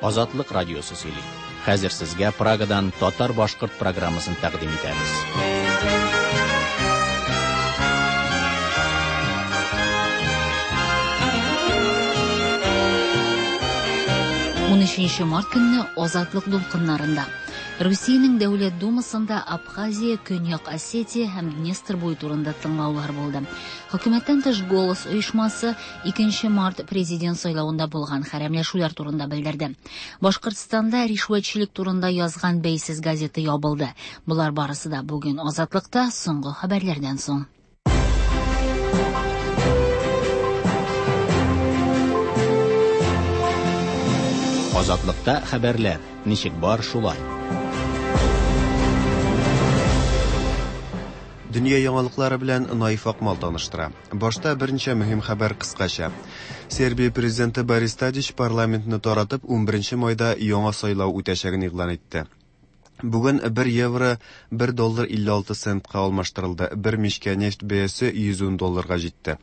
Азатлык радиосы сөйли. Хәзер сезгә Прагадан татар-башкорт программасын тәкъдим итәбез. 13 март көнне Азатлык дулкыннарында Русиянең Дәүләт Думасында Абхазия, Көньяк Осетия һәм Днестр буе турында тыңлаулар булды. Хөкүмәттән тыш Голос оешмасы 2 март президент сайлавында булган хәрәмләшүләр турында белдерде. Башкортстанда ришвәтчелек турында язган бәйсез газета ябылды. Болар барысы да бүген Азатлыкта соңгы хәбәрләрдән соң. Азатлыкта хәбәрләр ничек бар шулай. Дөнья яңалыклары белән Наиф Акмал таныштыра. Башта берничә мөһим хәбәр кыскача. Сербия президенты Борис Тадич парламентны таратып 11 майда яңа сайлау үтәчәген игълан итте. Бүген 1 евро 1 доллар 56 центка алмаштырылды. Бер мичкә нефть бәясе 110 долларга җитте.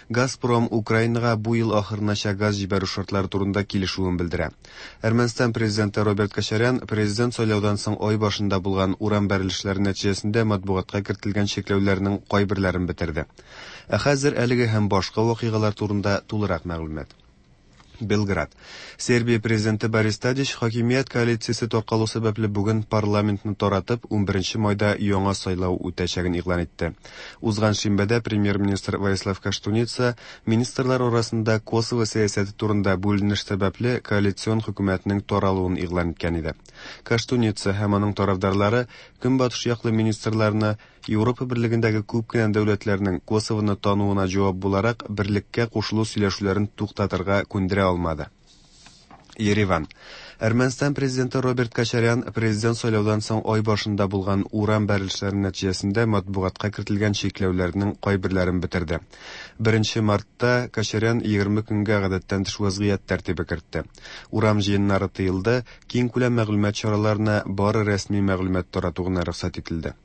Газпром Украинага бу ел ахырынача газ җибәрү шартлары турында килешүен белдерә. Әрмәнстан президенты Роберт Кочарян президент сайлаудан соң ай башында булган урам бәрелешләре нәтиҗәсендә матбугатка кертелгән чикләүләрнең кайберләрен бетерде. Ә хәзер әлеге һәм башка вакыйгалар турында тулырак мәгълүмат. Белград. Сербия президенты Борис Тадич хакимият коалициясе таркалу сәбәпле бүген парламентны таратып, 11 майда яңа сайлау үтәчәген игълан итте. Узган шимбәдә премьер-министр Воислав Коштуница министрлар арасында Косово сәясәте турында бүленеш сәбәпле коалицион хөкүмәтнең таралуын игълан иткән иде. Коштуница һәм аның тарафдарлары көнбатыш яклы министрларны Европа берлегендәге күп кенә дәүләтләрнең Косовоны тануына җавап буларак берлеккә кушылу сөйләшүләрен туктатырга күндерә алмады. Ереван. Әрмәнстан президенты Роберт Кочарян президент сайлаудан соң ай башында булган урам бәрелешләре нәтиҗәсендә матбугатка кертелгән чикләүләрнең кайберләрен бетерде. 1 мартта Кочарян 20 көнгә гадәттән тыш вазгыять тәртибе кертте. Урам җыеннары тыелды, киң күләм мәгълүмат чараларына бары рәсми мәгълүмат тарату гына рөхсәт ителде.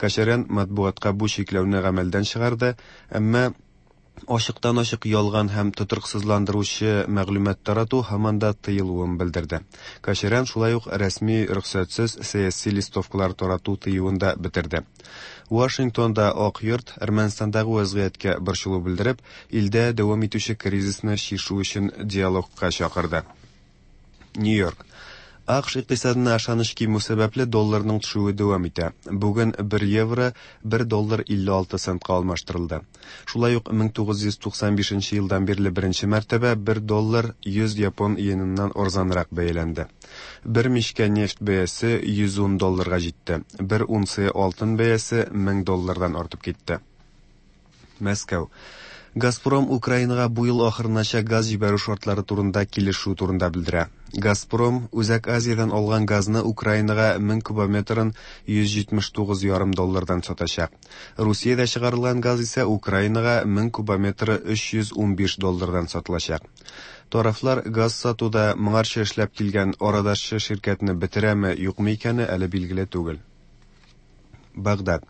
Кочарян матбугатка бу чикләүне гамәлдән чыгарды, әмма ачыктан-ачык ялган һәм тотрыксызландыручы мәгълүмат тарату һаман да тыелуын белдерде. Кочарян шулай ук рәсми рөхсәтсез сәяси листовкалар тарату тыюын да бетерде. Вашингтонда Ак йорт Әрмәнстандагы вазгыятькә борчылу белдереп, илдә дәвам итүче кризисны чишү өчен диалогка чакырды. Нью-Йорк. АКШ икътисадына ышаныч кимү сәбәпле долларның төшүе дәвам итә. Бүген 1 евро 1 доллар 56 центка алмаштырылды. Шулай ук 1995 елдан бирле беренче мәртәбә 1 доллар 100 япон иеныннан арзанрак бәяләнде. Бер мичкә нефть бәясе 110 долларга җитте. Бер унция алтын бәясе 1000 доллардан артып китте. Мәскәү. Газпром Украинага бу ел ахырынача газ җибәрү шартлары турында килешү турында белдерә. Газпром Үзәк Азиядән алган газны Украинага 1000 кубометрын 179,5 доллардан сатачак. Русиядә чыгарылган газ исә Украинага 1000 кубометры 315 доллардан сатылачак. Тарафлар газ сатуда моңарчы эшләп килгән арадашчы ширкәтне бетерәме, юкмы икәне әле билгеле түгел. Багдад.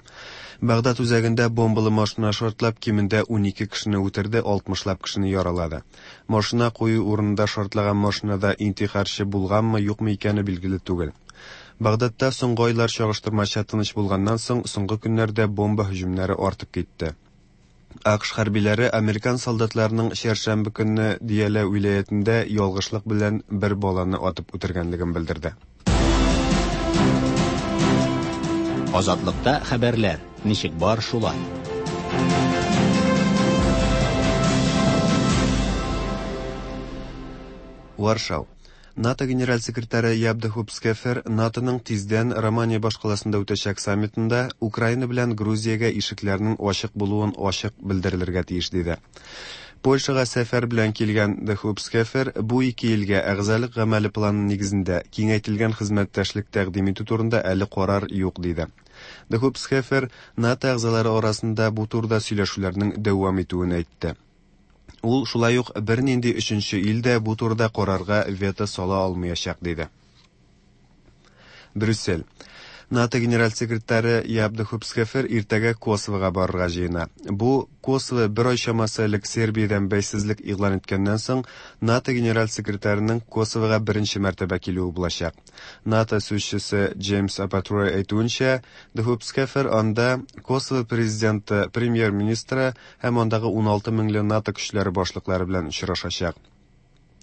Багдад үзәгендә бомбалы машина шартлап, кимендә 12 кешене үтерде, 60лап кешене яралады. Машина кую урынында шартлаган машинада интихарчы булганмы, юкмы икәне билгеле түгел. Багдадта соңгы айлар чагыштырмача тыныч булганнан соң, соңгы көннәрдә бомба һөҗүмнәре артып китте. АКШ хәрбиләре американ солдатларының чәршәмбе көнне Диялә вилаятендә ялгышлык белән бер баланы атып үтергәнлеген белдерде. Азатлыкта хәбәрләр ничек бар шулай. Варшау. НАТО генераль секретаре Яб де Хупскефер НАТОның тиздән Романия башкаласында үтәчәк саммитында Украина белән Грузиягә ишекләрнең ачык булуын ачык белдерелергә тиеш диде. Польшага сәфәр белән килгән де Хупскефер бу ике илгә әгъзалык гамәле планы нигезендә киңәйтелгән хезмәттәшлек тәкъдим итү турында әле карар юк диде. Де Хупскефер НАТО әгъзалары арасында бу турыда сөйләшүләрнең дәвам итүен әйтте. Ул шулай ук бернинди өченче ил дә бу турыда карарга вето сала алмаячак диде. Брюссель. НАТО генераль секретаре Яп де Хуп Схефер иртәгә Косовога барырга җыена. Бу Косово бер ай чамасы элек Сербиядән бәйсезлек игълан иткәннән соң НАТО генераль секретарының Косовога беренче мәртәбә килүе булачак. НАТО сүзчесе Джеймс Апатрой әйтүенчә, де Хуп Схефер анда Косово президенты, премьер-министры һәм андагы 16 меңле НАТО көчләре башлыклары белән очрашачак.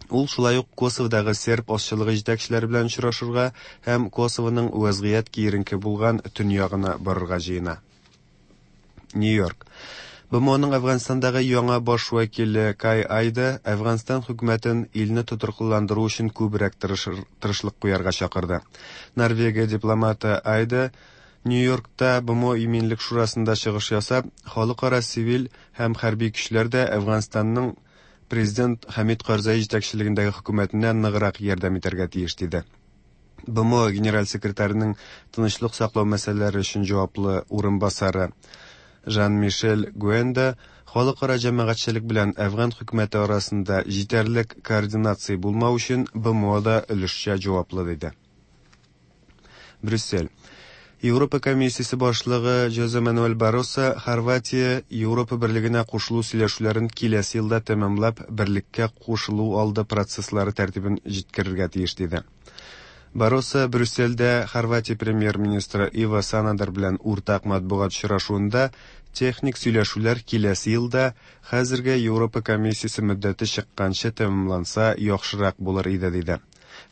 Ул шулай ук Косоводагы серб азчылыгы җитәкчеләре белән очрашырга һәм Косовоның вәзгыять киеренке булган төньягына барырга җыена. Нью-Йорк. БМОның Әфганстандагы яңа баш вәкиле Кай Айда Әфганстан хөкүмәтен илне тотрыклыландыру өчен күбрәк тырышлык куярга чакырды. Норвегия дипломаты Айда Нью-Йоркта БМО Иминлек шурасында чыгыш ясап, халыкара цивиль һәм хәрби көчләр дә Әфганстанның президент Хәмид Карзай җитәкчелегендәге хөкүмәтенә ныграк ярдәм итәргә тиеш диде. БМО генераль секретарының тынычлык саклау мәсьәләләре өчен җаваплы урынбасары Жан-Мишель Гуэнда халыкара җәмәгатьчелек белән Әфган хөкүмәте арасында җитәрлек координация булмау өчен БМО да өлешчә җаваплы диде. Брюссель. Европа комиссиясе башлыгы Жозе Мануэль Барроса Хорватия Европа берлегенә кушылу сөйләшүләрен киләсе елда тәмамлап, берлеккә кушылу алды процесслары тәртибен җиткерергә тиеш диде. Барроса Брюссельдә Хорватия премьер-министры Ива Санадер белән уртак матбугат очрашуында техник сөйләшүләр киләсе елда хәзерге Европа комиссиясе мөддәте чыкканчы тәмамланса яхшырак булыр иде диде.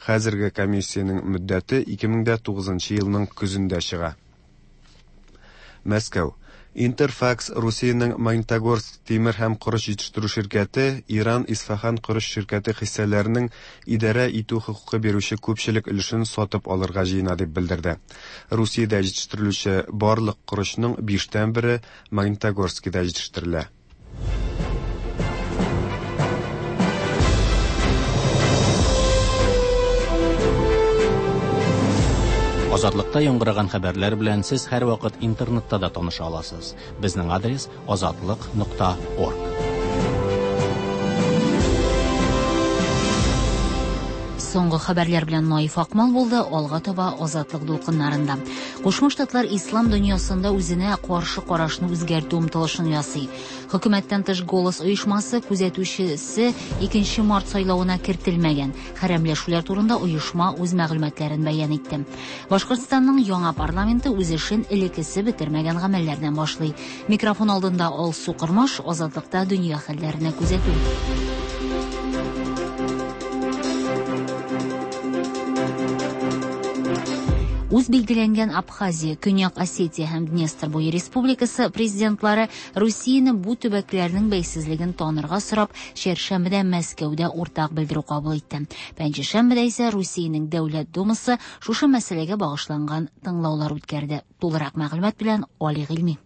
Хәзерге комиссиянең мөддәте 2009 елның көзендә чыга. Мәскәү. Интерфакс Русиянең Магнитогорск тимер һәм корыч җитештерү ширкәте Иран Исфахан корыч ширкәте хиссәләренең идарә итү хокукы бирүче күпчелек өлешен сатып алырга җыена дип белдерде. Русиядә җитештерелүче барлык корычның 1/5 Магнитогорскида җитештерелә. Азатлыкта яңгыраган хәбәрләр белән сез һәрвакыт интернетта да таныша аласыз. Безнең адрес azatliq.org. Соңгы хәбәрләр белән Наиф Акмал булды, алга таба Азатлык дулкыннарында. Кушма Штатлар ислам дөньясында үзенә каршы карашны үзгәртү омтылышын ясый. Хөкүмәттән тыш Голос оешмасы күзәтүчесе 2 март сайлавына кертелмәгән. Хәрәмләшүләр турында оешма үз мәгълүматларын бәян итте. Башкортстанның яңа парламенты үз эшен элеккесе бетермәгән гамәлләрдән башлый. Микрофон алдында Алсу Кормаш, Азатлыкта дөнья хәлләренә күзәтү. Үз билгеләнгән Абхазия, Көньяк Осетия һәм Днестр буе республикасы президентлары Русияне бу төбәкләрнең бәйсезлеген танырга сорап, чәршәмбедә Мәскәүдә уртак белдерү кабул итте. Пәнҗешәмбедә исә Русиянең Дәүләт Думасы шушы мәсьәләгә багышланган тыңлаулар үткәрде. Тулырак мәгълүмат белән Али Гыйльми.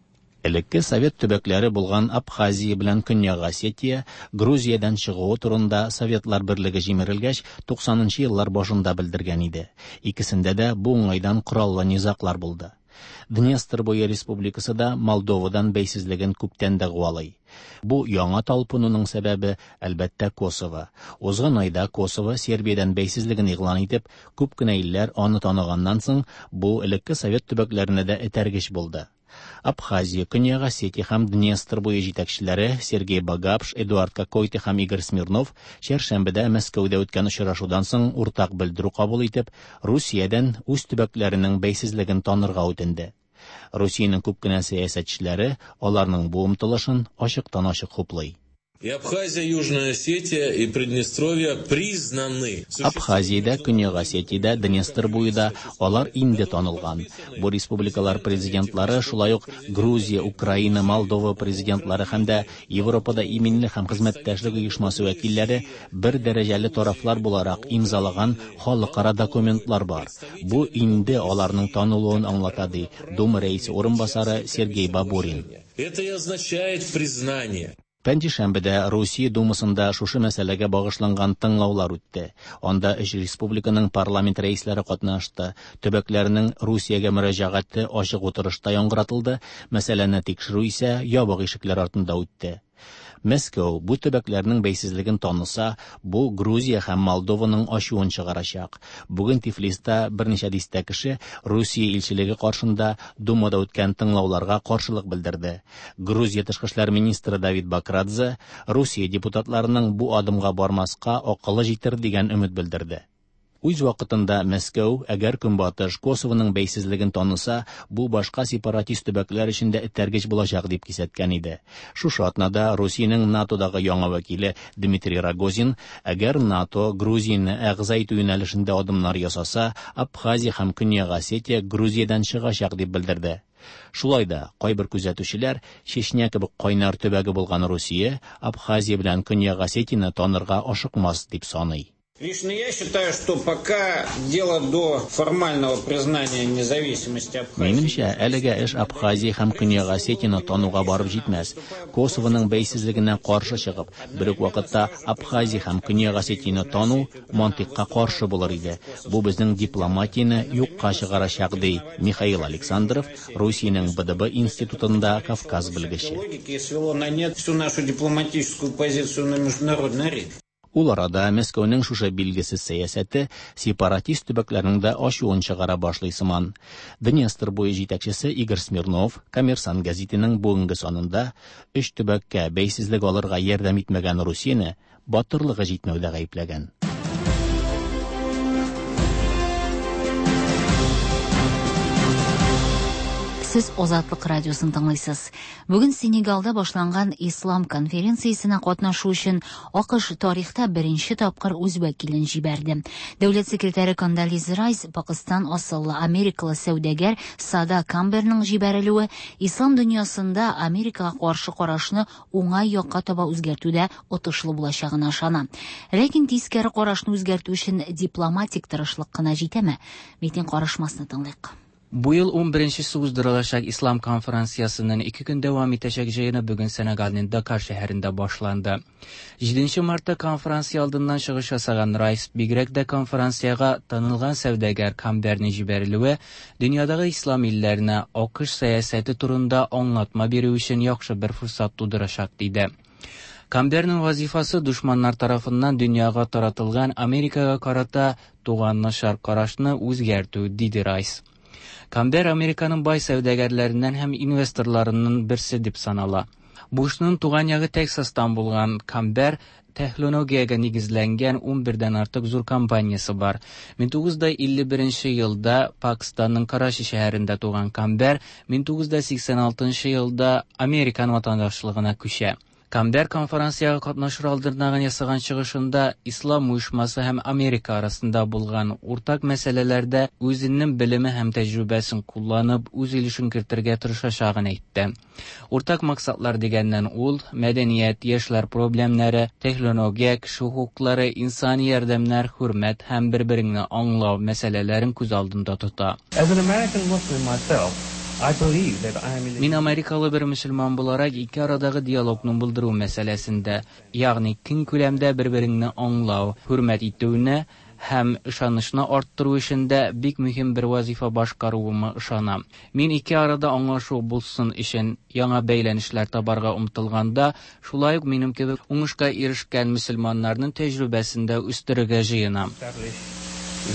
Элекке совет төбәкләре булган Абхазия белән Көньяк Осетия Грузиядән чыгуы турында Советлар берлеге җимерелгәч 90нчы еллар башында белдергән иде. Икесендә дә бу уңайдан кораллы низаглар булды. Днестр буе республикасы да Молдовадан бәйсезлеген күптән дәгъвалый. Бу яңа талпынуның сәбәбе, әлбәттә, Косово. Узган айда Косово Сербиядән бәйсезлеген игълан итеп, күп кенә илләр аны таныганнан соң, бу элекке совет төбәкләренә дә этәргеч булды. Абхазия, Көньяк Осетия һәм Днестр буе җитәкчеләре Сергей Багапш, Эдуард Кокойты һәм Игорь Смирнов чәршәмбедә Мәскәүдә үткән очрашудан соң уртак белдерү кабул итеп, Русиядән үз төбәкләренең бәйсезлеген танырга үтенде. Русиянең күп кенә сәясәтчеләре аларның бу омтылышын ачыктан-ачык хуплый. И Абхазия, Южная Осетия и Приднестровье признаны. Абхазиядә, Көньяк Осетиядә, Днестр буенда алар инде танылган. Бу республикалар президентлары шулай ук Грузия, Украина, Молдова президентлары һәм дә Европада иминлек һәм хезмәттәшлек оешмасы вәкилләре бер дәрәҗәле тарафлар буларак имзалаган халыкара документлар бар. Бу инде аларның танылуын аңлата, ди Дума рәисе урынбасары Сергей Бабурин. Это и означает признание. Пәнҗешәмбедә Русия Думасында шушы мәсьәләгә багышланган тыңлаулар үтте. Анда өч республиканың парламент рәисләре катнашты. Төбәкләрнең Русиягә мөрәҗәгате ачык утырышта яңгыратылды. Мәсьәләне тикшерү исә ябык ишекләр артында үтте. Мәскәү бу төбәкләрнең бәйсезлеген таныса, бу Грузия һәм Молдованың ачуын чыгарачак. Бүген Тифлиста берничә дистә кеше Русия илчелеге каршында Думада үткән тыңлауларга каршылык белдерде. Грузия тышкы эшләр министры Давид Бакрадзе Русия депутатларының бу адымга бармаска акылы җитер дигән өмет белдерде. Үз вакытында Мәскәү, әгәр Көнбатыш Косовоның бәйсезлеген таныса, бу башка сепаратист төбәкләр өчен дә этәргеч булачак дип кисәткән иде. Шушы атнада Русиянең НАТОдагы яңа вәкиле Дмитрий Рогозин, әгәр НАТО Грузияне әгъза итү юнәлешендә адымнар ясаса, Абхазия һәм Көньяк Осетия Грузиядән чыгачак дип белдерде. Шулай да кайбер күзәтүчеләр Чечня кебек кайнар төбәге булган Русия Абхазия белән Көньяк Осетияне танырга ашыкмас дип саный. Лично я считаю, что пока дело до формального признания независимости Абхазии. Минемчә, әлегә эш Абхазия һәм Көньяк Осетияне тануга барып җитмәс. Косовоның бәйсезлегенә каршы чыгып, бер үк вакытта Абхазия һәм Көньяк Осетияне тану мантыйкка каршы булыр иде. Бу безнең дипломатияне юкка чыгарачак, ди Михаил Александров, Русиянең БДБ институтында Кавказ белгече. Логики свело на нет всю нашу дипломатическую позицию на международной арене. Ул арада Мәскәүнең шушы билгесез сәясәте сепаратист төбәкләрнең дә ачуын чыгара башлый сыман. Днестр буе җитәкчесе Игорь Смирнов Коммерсант гәзитенең бүгенге санында өч төбәккә бәйсезлек алырга ярдәм итмәгән Русияне батырлыгы җитмәүдә гаепләгән. Сез Азатлык радиосын тыңлыйсыз. Бүген Сенегалда башланган Ислам конференциясенә катнашу өчен АКШ тарихта беренче тапкыр үз вәкилен җибәрде. Дәүләт секретаре Кондолиза Райс Пакыстан асыллы америкалы сәүдәгәр Сада Камберның җибәрелүе ислам дөньясында Америкага каршы карашны уңай якка таба үзгәртүдә отышлы булачагына ышана. Ләкин тискәре карашны үзгәртү өчен дипломатик тырышлык кына җитәме? Митин карышмасны тыңлыйк. Бу ел 11-нчесе уздырылачак Ислам конференциясенең 2 көн дәвам итәчәк җыены бүген Сенегалның Дакар шәһәрендә башланды. 7 мартта конференция алдыннан чыгыш ясаган Райс бигрәк дә конференциягә танылган сәүдәгәр Камберның җибәрелүе дөньядагы ислам илләренә АКШ сәясәте турында аңлатма бирү өчен яхшы бер форсат тудырачак диде. Камберның вазифасы дошманнар тарафыннан дөньяга таратылган Америкага карата туган начар карашны үзгәртү, диде Райс. Камбер Американың бай сәүдәгәрләреннән һәм инвесторларының берсе дип санала. Бушның туган ягы Тексастан булган Камбер технологиягә нигезләнгән 11-дән артык зур компаниясе бар. 1951 елда Пакистанның Карачи шәһәрендә туган Камбер 1986 елда Американ ватандашлыгына күчә. Камбер конференциягә катнашыр алдыннан ясаган чыгышында Ислам оешмасы һәм Америка арасында булган уртак мәсьәләләрдә үзенең белеме һәм тәҗрибәсен кулланып, үз өлешен кертергә тырышачагын әйтте. Уртак максатлар дигәннән ул мәдәният, яшьләр проблемнары, технология, кеше хокуклары, инсани ярдәмнәр, хөрмәт һәм бер-береңне аңлау мәсьәләләрен күз алдында тота. As an American Muslim myself, I believe that I am in Мин америкалы бер мөселман буларак ике арадагы диалогны булдыру мәсьәләсендә, ягъни киң күләмдә бер-береңне аңлау, хөрмәт итүне һәм ышанычны арттыру эшендә бик мөһим бер вазифа башкаруыма ышанам. Мин ике арада аңлашу булсын өчен яңа бәйләнешләр табарга омтылганда, шулай ук минем кебек уңышка ирешкән мөселманнарның тәҗрибәсен дә үстерергә җыенам. establish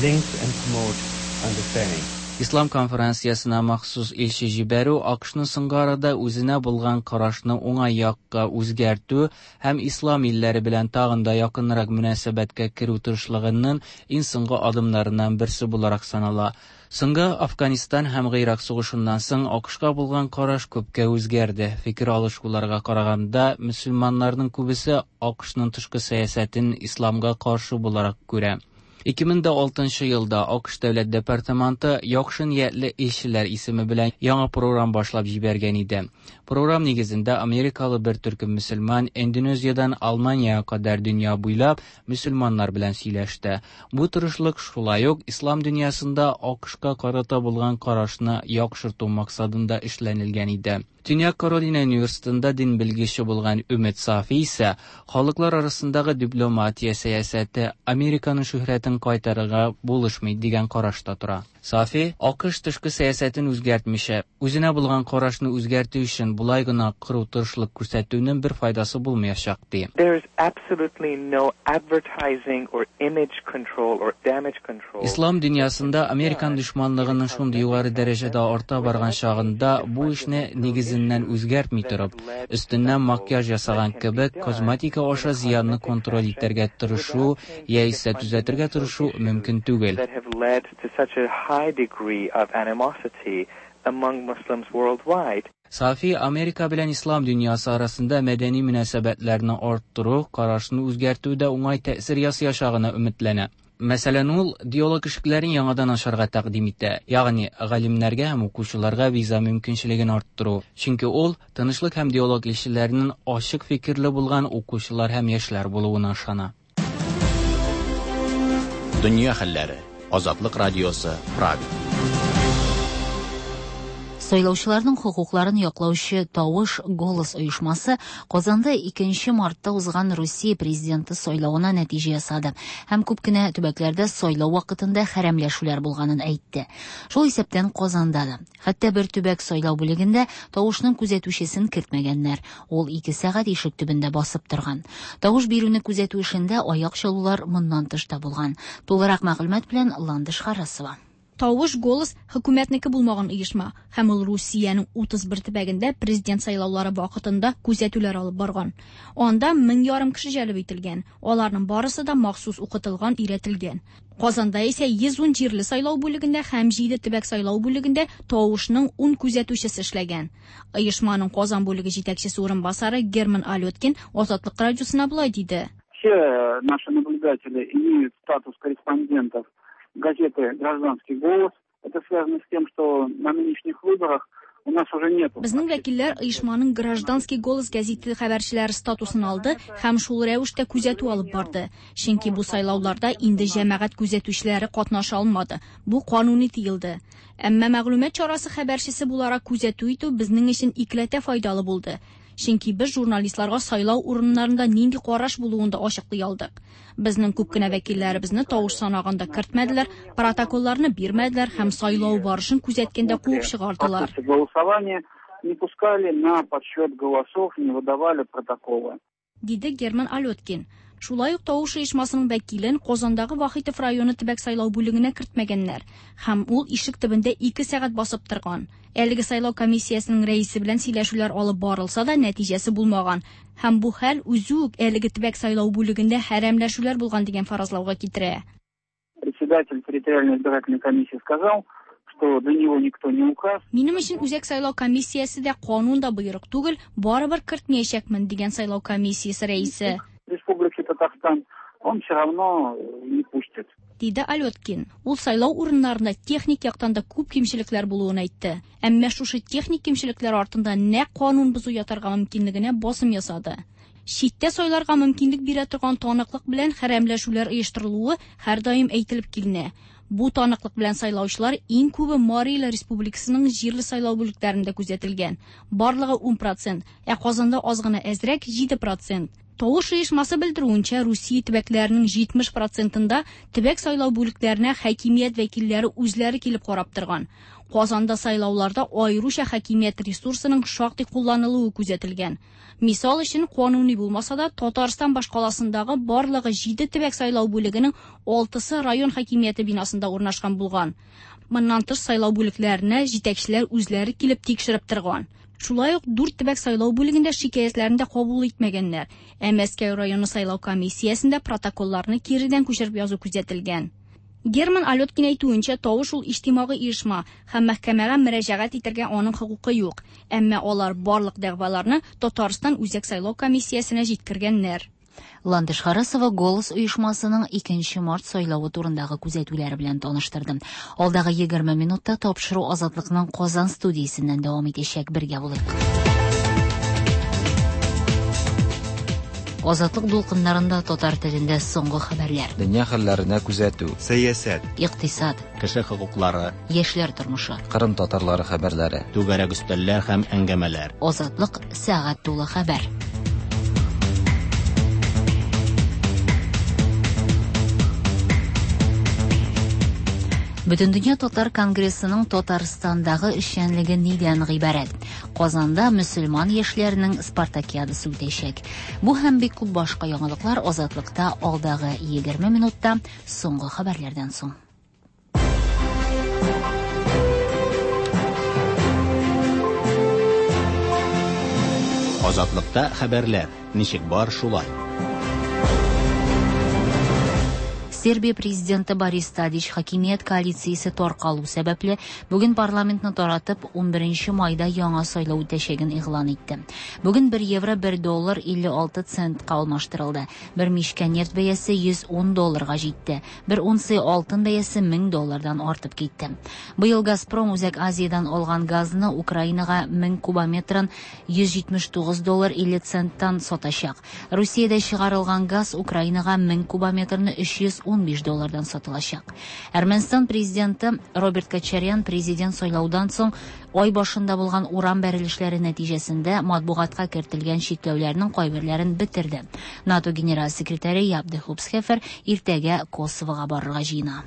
links and promote understanding. Ислам конференциясенә махсус илче җибәрү АКШның соңгы арада үзенә булган карашны уңай якка үзгәртү һәм ислам илләре белән тагын да якынрак мөнәсәбәткә керү тырышлыгының иң соңгы адымнарыннан берсе буларак санала. Соңгы Афганистан һәм Гыйрак сугышыннан соң АКШка булган караш күпкә үзгәрде. Фикер алышуларга караганда, мөселманнарның күбесе АКШның тышкы сәясәтен исламга каршы буларак күрә. 2006 елда АКШ Дәүләт департаменты яхшы ниятле илчеләр исеме белән яңа програм башлап җибәргән иде. Програм нигезендә америкалы бер төркем мөселман Индонезиядән Алманиягә кадәр дөнья буйлап мөселманнар белән сөйләште. Бу тырышлык шулай ук ислам дөньясында АКШка карата булган карашны яхшырту максатында эшләнелгән иде. Төньяк Каролина университетында дин белгече булган Өмет Сафи исә халыклар арасындагы дипломатия сәясәте Американың шөһрәтен кайтарырга булышмый дигән карашта тора. Сафи, АКШ тышкы сәясәтен үзгәртмичә, үзенә булган карашны үзгәртү өчен болай гына кыру тырышлык күрсәтүнең бер файдасы булмаячак, ди. There is absolutely no advertising or image control or damage control. Ислам дөньясында американ дошманлыгының шундый югары дәрәҗәдә арта барган чагында бу эшне нигезеннән үзгәртми торып, өстеннән макияж ясаган кебек косметика аша зыянны контроль итәргә тырышу яисә төзәтергә тырышу мөмкин түгел. That have led to such a high degree of animosity among Muslims worldwide. Сафи Америка белән ислам дөньясы арасында мәдәни мөнәсәбәтләрне арттыру, карашны үзгәртүдә уңай тәэсир ясаячагына өметләнә. Мәсәлән, ул диалог ишекләрен яңадан ачарга тәкъдим итә, ягъни галимнәргә һәм укучыларга виза мөмкинчелеген арттыру. Чөнки ул тынычлык һәм диалог илчеләренең ачык фикерле булган укучылар һәм яшьләр булуына ышана. Дөнья хәлләре. Азатлык радиосы, Прага. Сайлаучыларның хокукларын яклаучы Тавыш Голос оешмасы Казанда 2 мартта узган Русия президенты сайлавына нәтиҗә ясады һәм күп кенә төбәкләрдә сайлау вакытында хәрәмләшүләр булганын әйтте. Шул исәптән Казанда да. Хәтта бер төбәк сайлау бүлегендә тавышның күзәтүчесен кертмәгәннәр. Ул 2 сәгать ишек төбендә басып торган. Тавыш бирүне күзәтү эшендә аяк чалулар моннан тыш та булган. Тулырак мәгълүмат белән Ландыш Харасова. Тавыш Голос хөкүмәтнеке булмаган оешма һәм ул Русиянең 31 төбәгендә президент сайлаулары вакытында күзәтүләр алып барган. Анда 1500 кеше җәлеп ителгән. Аларның барысы да махсус укытылган, өйрәтелгән. Казанда исә 110 җирле сайлау бүлегендә һәм 7 төбәк сайлау бүлегендә тавышның 10 күзәтүчесе эшләгән. Оешманың Казан бүлеге җитәкчесе урынбасары Герман Алёткин Азатлык радиосына болай диде. Все наши наблюдатели имеют статус корреспондентов газеты «Гражданский голос». Это связано с тем, что на нынешних выборах у нас уже нет. Безнең вәкилләр оешманың «Гражданский голос» гәзите хәбәрчеләре статусын алды һәм шул рәвештә күзәтү алып барды. Чөнки бу сайлауларда инде җәмәгать күзәтүчеләре катнаша алмады. Бу кануни тыелды. Әмма мәгълүмат чарасы хәбәрчесе буларак күзәтү итү безнең өчен икеләтә файдалы булды. Чөнки без журналистларга сайлау урыннарында нинди караш булуын да ачыклый алдык. Безнең күп кенә вәкилләребезне тавыш санаганда кертмәделәр, протоколларны бирмәделәр һәм сайлау барышын күзәткәндә куып чыгардылар. Голосование не пускали на подсчет голосов, не выдавали протоколы. Диде Герман Алёткин. Шулай ук тавыш оешмасының вәкилен Казандагы Вахитов районы төбәк сайлау бүлегенә кертмәгәннәр һәм ул ишек төбендә 2 сәгать басып торган. Әлеге сайлау комиссиясенең рәисе белән сөйләшүләр алып барылса да нәтиҗәсе булмаган һәм бу хәл үзе үк әлеге төбәк сайлау бүлегендә хәрәмләшүләр булган дигән фаразлауга китерә. Председатель территориальной избирательной комиссии сказал, что для него никто не указ. Минем өчен үзәк сайлау комиссиясе дә канун да боерык түгел, барыбер кертмәячәкмен дигән сайлау комиссиясе рәисе. Республики Татарстан, он все равно не пустит. Диде Алёткин. Ул сайлау урыннарында техник яктан да күп кимчелекләр булуын әйтте. Әмма шушы техник кимчелекләр артында нәкъ канун бозу ятарга мөмкинлегенә басым ясады. Читтә сайларга мөмкинлек бирә торган таныклык белән хәрәмләшүләр оештырылуы һәрдаим әйтелеп киленә. Бу таныклык белән сайлаучылар иң күбе Марий Эл Республикасының җирле сайлау бүлекләрендә күзәтелгән. Барлыгы 10%, ә Казанда аз гына әзрәк 7%. Тавыш оешмасы белдерүенчә, Русия төбәкләренең 70%-ында төбәк сайлау бүлекләренә хакимият вәкилләре үзләре килеп карап торган. Казанда сайлауларда аеруча хакимият ресурсының шактый кулланылуы күзәтелгән. Мисал өчен, кануни булмаса да, Татарстан башкаласындагы барлыгы 7 төбәк сайлау бүлегенең 6-сы район хакимияте бинасында урнашкан булган. Моннан тыш сайлау бүлекләренә җитәкчеләр үзләре килеп тикшереп торган. Шулай ук 4 төбәк сайлау бүлегендә шикаятьләрне дә кабул итмәгәннәр. Ә Мәскәү районы сайлау комиссиясендә протоколларны киредән күчереп язу күзәтелгән. Герман Алёткин әйтүенчә, тавыш ул иҗтимагый оешма һәм мәхкәмәгә мөрәҗәгать итәргә аның хокукы юк. Әмма алар барлык дәгъваларны Татарстан Үзәк сайлау комиссиясенә җиткергәннәр. Ландыш Харасова Голос оешмасының 2 март сайлавы турындагы күзәтүләре белән таныштырды. Алдагы 20 минутта тапшыру Азатлыкның Казан студиясеннән дәвам итәчәк. Бергә булыйк. Азатлык дулкыннарында татар телендә соңгы хәбәрләр. Дөнья хәлләренә күзәтү. Сәясәт. Икътисад. Кеше хокуклары. Яшьләр тормышы. Кырым татарлары хәбәрләре. Түгәрәк өстәлләр һәм әңгәмәләр. Азатлык сәгать тулы хәбәр. Бөтендөнья татар конгрессының Татарстандагы эшчәнлеге нидән гыйбарәт? Казанда мөселман яшьләренең спартакиадасы үтәчәк. Бу һәм бик күп башка яңалыклар Азатлыкта алдагы 20 минутта соңгы хәбәрләрдән соң. Азатлыкта хәбәрләр ничек бар шулай. Сербия президенты Борис Тадич хакимият коалициясе таркалу сәбәпле, бүген парламентны таратып, 11 майда яңа сайлау үтәчәген игълан итте. Бүген 1 евро 1 доллар 56 центка алмаштырылды. Бер мичкә нефть бәясе 110 долларга җитте. Бер унция алтын бәясе 1000 доллардан артып китте. Быел Газпром Үзәк Азиядән алган газны Украинага 1000 кубометрын 179 доллар 50 центтан сатачак. Русиядә чыгарылган газ Украинага 1000 кубометрны 315 доллардан сатылачак. Әрмәнстан президенты Роберт Кочарян президент сайлаудан соң ай башында булган урам бәрелешләре нәтиҗәсендә матбугатка кертелгән чикләүләрнең кайберләрен бетерде. НАТО генераль секретаре Яп де Хупсхефер иртәгә Косовога барырга җыена.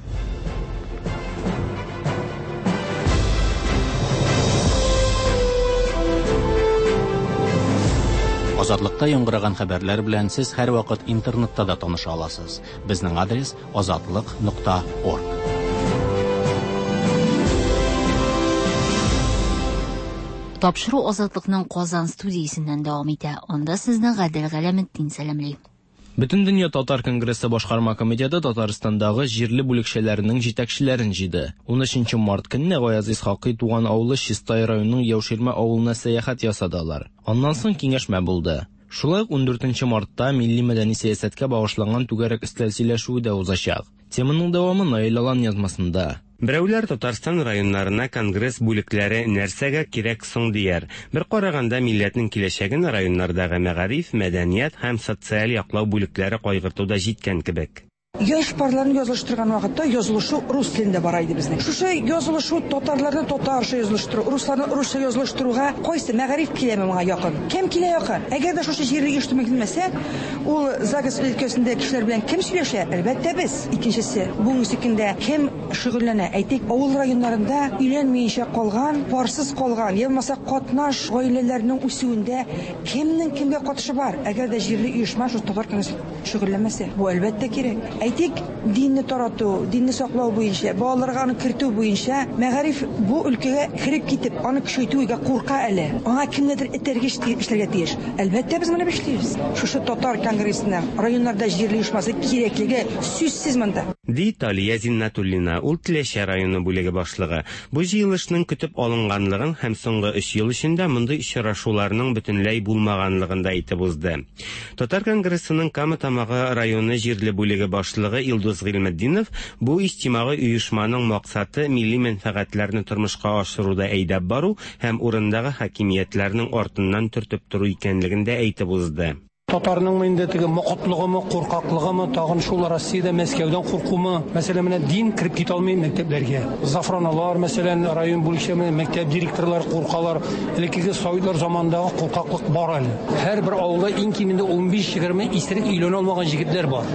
Азатлыкта яңгыраган хәбәрләр белән сез һәрвакыт интернетта да таныша аласыз. Безнең адрес azatliq.org. Тапшыру Азатлыкның Казан студиясеннән дәвам итә. Анда сезне Гадел Галәметдин сәламли. Бөтендөнья татар конгрессы башкарма комитеты Татарстандагы җирле бүлекчәләренең җитәкчеләрен җыйды. 13 март көнне Гаяз Исхакый туган авылы Чистай районының Яуширмә авылына сәяхәт ясады алар. Аннан соң киңәшмә булды. Шулай ук 14 мартта милли мәдәни сәясәткә багышланган түгәрәк өстәл сөйләшүе дә узачак. Теманың дәвамы Наил Алан язмасында. Берәүләр Татарстан районнарына конгресс бүлекләре нәрсәгә кирәк соң дияр. Бер караганда милләтнең киләчәген районнардагы мәгариф, мәдәният һәм социаль яклау бүлекләре кайгырту да җиткән кебек. Яшь парларны язылыштырган вакытта язылышу рус телендә бара иде безнең. Шушы язылышу татарларны татарча язылыштыру, русларны русча язылыштыруга кайсы мәгариф киләме моңа якын? Кем килә якын? Әгәр дә шушы җирле оештырма килмәсә, ул ЗАГС өлкәсендә кешеләр белән кем сөйләшә? Әлбәттә без. Икенчесе, бүгенге көндә кем шөгыльләнә? Әйтик, авыл районнарында өйләнмәенчә калган, парсыз калган, я булмаса катнаш гаиләләрнең үсүендә кемнең кемгә катышы бар? Әгәр дә җирле оешма шул татар конгрессы шөгыльләнмәсә, бу әлбәттә кирәк. Әйтик, динне тарату, динне саклау буенча, балаларга аны кертү буенча мәгариф бу өлкәгә кереп китеп, аны көчәйтүгә курка әле. Аңа кемнедер этәргеч эшләргә тиеш. Әлбәттә, без моны эшлибез. Шушы татар конгрессының районнарда җирле оешмасы кирәклеге сүзсез монда. Ди Талия Зиннатуллина, ул Теләче районы бүлеге башлыгы. Бу җыелышның көтеп алынганлыгын һәм соңгы 3 ел эчендә мондый очрашуларның бөтенләй булмаганлыгын да әйтеп узды. Татар конгрессының Кама Тамагы районы җирле бүлеге башлыгы Илдус Гыйльметдинов бу иҗтимагый оешманың максаты милли мәнфәгатьләрне тормышка ашыруда әйдәп бару һәм урындагы хакимиятләрнең артыннан төртеп тору икәнлеген дә әйтеп узды. Татарның инде теге мокытлыгымы, куркаклыгымы, тагын шул Россиядә Мәскәүдән куркумы, мәсәлән, менә дин кереп китә алмый мәктәпләргә. Зафраналар, мәсәлән, район бүлекчә мәктәп директорлары куркалар. Элеккеге советлар заманындагы куркаклык бар әле. Һәрбер авылда иң кимендә 15-20 исерек өйләнә алмаган җегетләр бар.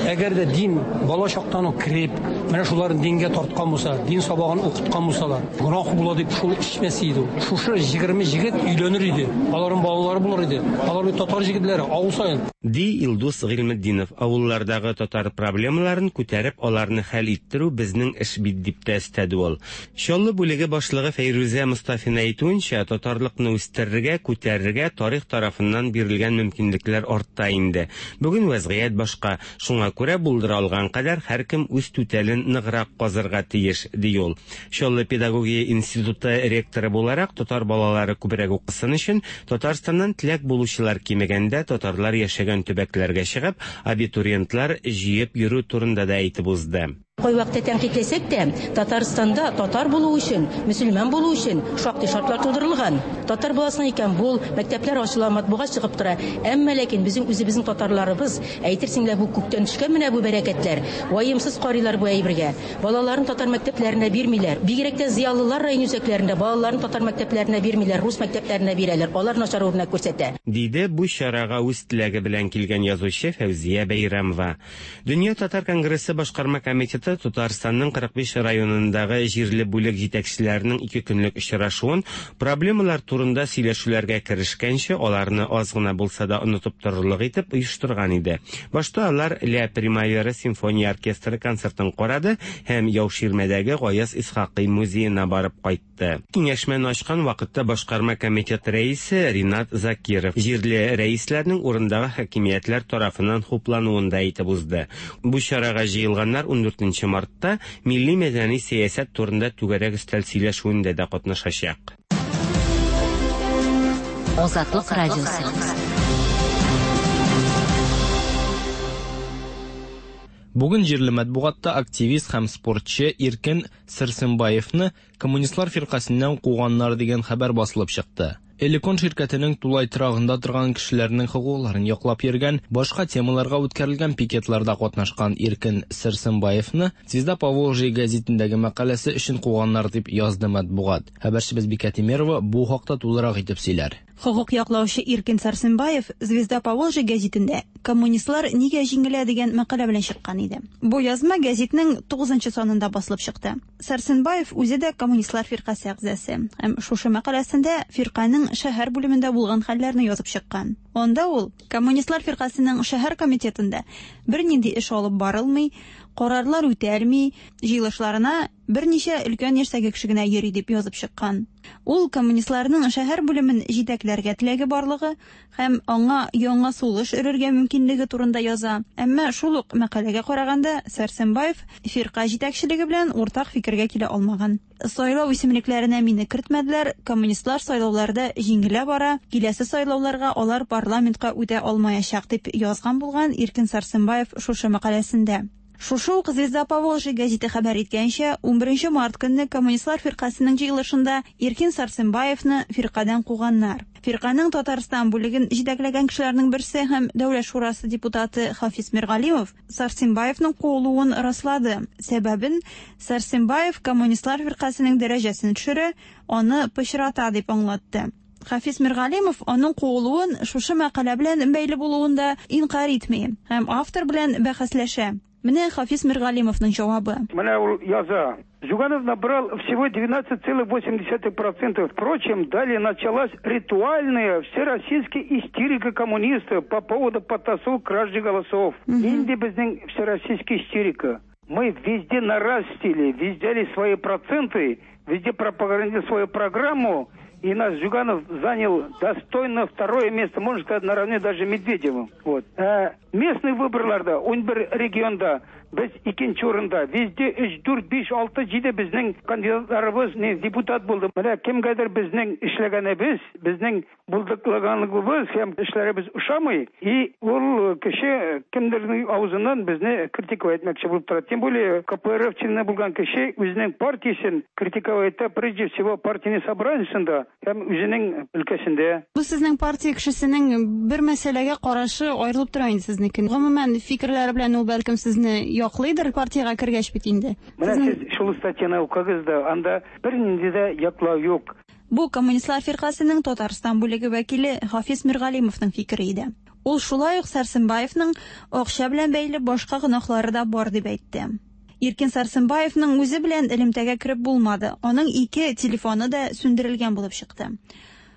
Әгәр дә дин бала чактан ук кереп, менә шуларын дингә тарткан булса, дин сабагын укыткан булсалар, гөнаһ була дип шул эчмәс иде. Шушы 20 җегет өйләнер иде. Аларның балалары булыр иде. Алар бит татар җегетләре, авыл саен. Ди Илдус Гыйльметдинов, авыллардагы татар проблемаларын күтәреп, аларны хәл иттерү безнең эш бит дип тә өстәде ул. Чаллы бүлеге башлыгы Фәйрүзә Мустафина әйтүенчә, татарлыкны үстерергә, күтәрергә тарих тарафыннан бирелгән мөмкинлекләр артта инде. Бүген вәзгыять башка, шуңа күрә булдыра алган кадәр һәркем үз түтәлен ныграк казырга тиеш, ди ул. Чаллы педагогия институты ректоры буларак татар балалары күбрәк укысын өчен Татарстаннан теләк булучылар кимегәндә татарлар яшәгән төбәкләргә чыгып, абитуриентлар җыеп йөрү турында да әйтеп узды. Кайвакытта тәнкыйтьләсәк тә, Татарстанда татар булу өчен, мөселман булу өчен шактый шартлар тудырылган. Татар буласың икән, бул, мәктәпләр ачыла, матбугат чыгып тора. Әмма ләкин безнең үзебезнең татарларыбыз, әйтерсең лә бу күктән төшкән менә бу бәрәкәтләр, ваемсыз карыйлар бу әйбергә. Балаларын татар мәктәпләренә бирмиләр. Бигрәк тә зыялылар район үзәкләрендә балаларын татар мәктәпләренә бирмиләр, рус мәктәпләренә бирәләр. Алар начар үрнәк күрсәтә. Диде бу чарага үз теләге белән килгән язучы Фәүзия Бәйрәмова. Дөнья татар конгрессы башкарма комитеты Татарстанның 45 районындагы җирле бүлек җитәкчеләренең ике көнлек очрашуын проблемалар турында сөйләшүләргә керешкәнче аларны аз гына булса да онытып торырлык итеп оештырган иде. Башта алар Ля Примавера симфония оркестры концертын карады һәм Яуширмәдәге Гаяз Исхакый музеена барып кайтты. Киңәшмәне ачкан вакытта башкарма комитет рәисе Ринат Закиров җирле рәисләрнең урындагы хакимиятләр тарафыннан хуплануын да әйтеп узды. Бу чарага җыелганнар ундүртенче мартта милли-мәдәни сәясәт турында түгәрәк өстәл сөйләшүендә дә катнашачак. Азатлык радиосы. Бүген җирле матбугатта активист һәм спортчы Иркен Сәрсенбаевны Коммунистлар фиркасеннән куганнар дигән хәбәр басылып чыкты. Элекон ширкәтенең тулай торагында торган кешеләрнең хокукларын яклап йөргән, башка темаларга үткәрелгән пикетларда катнашкан Иркен Сәрсенбаевны Звезда Поволжья гәзитендәге мәкаләсе өчен куганнар дип язды матбугат. Хәбәрчебез Бикә Тимерова бу хакта тулырак итеп сөйләр. Хокук яклаучы Иркен Сәрсенбаев Звезда Поволжья гәзитендә Коммунистлар нигә җиңелә дигән мәкалә белән чыккан иде. Бу язма гәзитнең тугызынчы санында басылып чыкты. Сәрсенбаев үзе дә Коммунистлар фиркасе әгъзасы һәм шушы мәкаләсендә фирканең шәһәр бүлемендә булган хәлләрне язып чыккан. Анда ул Коммунистлар фиркасенең шәһәр комитетында бернинди эш алып барылмый, карарлар үтәлми, җыелышларына берничә өлкән яшьтәге кеше генә йөри дип язып чыккан. Ул коммунистларның шәһәр бүлемен җитәкләргә теләге барлыгы һәм аңа яңа сулыш өрергә мөмкинлеге турында яза. Әмма шул ук мәкаләгә караганда, Сәрсенбаев фирка җитәкчелеге белән уртак фикергә килә алмаган. Сайлау исемлекләренә мине кертмәделәр, коммунистлар сайлауларда җиңелә бара, киләсе сайлауларга алар парламентка үтә алмаячак, дип язган булган Иркен Сәрсенбаев шушы мәкаләсендә. Шушы ук Звезда Поволжья гәзите хәбәр иткәнчә, унберенче март көнне Коммунистлар фиркасенең җыелышында Иркин Сарсенбаевны фиркадән куганнар. Фирканең Татарстан бүлеген җитәкләгән кешеләрнең берсе һәм Дәүләт шурасы депутаты Хафиз Миргалимов Сарсенбаевның куылуын раслады. Сәбәбен Сарсенбаев Коммунистлар фиркасенең дәрәҗәсен төшерә, аны пычрата дип аңлатты. Хафиз Миргалимов аның куылуын шушы мәкалә белән бәйле булуын да инкарь итми һәм автор белән бәхәсләшә. Менә Хафиз Миргалимовның җавабы. Менә ул яза. Зюганов набрал всего девятнадцать целых восемь десятых процентов. Впрочем, далее началась ритуальная всероссийская истерика коммунистов по поводу подтасовок кражи голосов. Инде безнең всероссийская истерика. Мы везде нарастили, везде взяли свои проценты, везде пропагандировали свою программу. И наш Зюганов занял достойно второе место, можно сказать, наравне даже Медведевым. Местный выборларда, он бер регионда, без икенче урында, везде өч, дүрт, биш, алты, җиде безнең кандидатларыбыз, не, депутат булды. Менә кемгәдер безнең эшләгәнебез, безнең булдыклыганлыгыбыз һәм эшләребез ошамый, и ул кеше кемдернең авызыннан безне критиковать итмәкче булып тора. Тем более Ка Пэ Эр Эф члены булган кеше үзенең партиясен критиковать итә, прежде всего партийный собраниесендә һәм үзенең өлкәсендә. Бу сезнең партия кешесенең бер мәсьәләгә карашы аерылып тора инде сезнеке. Гомумән, фикерләре белән ул бәлкем сезне яклыйдыр партиягә кергәч бит инде. Менә сез шул статьяны укыгыз да, анда бернинди дә яклау юк. Бу Коммунистлар фиркасенең Татарстан бүлеге вәкиле Хафиз Миргалимовның фикере иде. Ул шулай ук Сәрсенбаевның акча белән бәйле башка гөнаһлары да бар дип әйтте. Иркен Сәрсенбаевның үзе белән элемтәгә кереп булмады. Аның ике телефоны да сүндерелгән булып чыкты.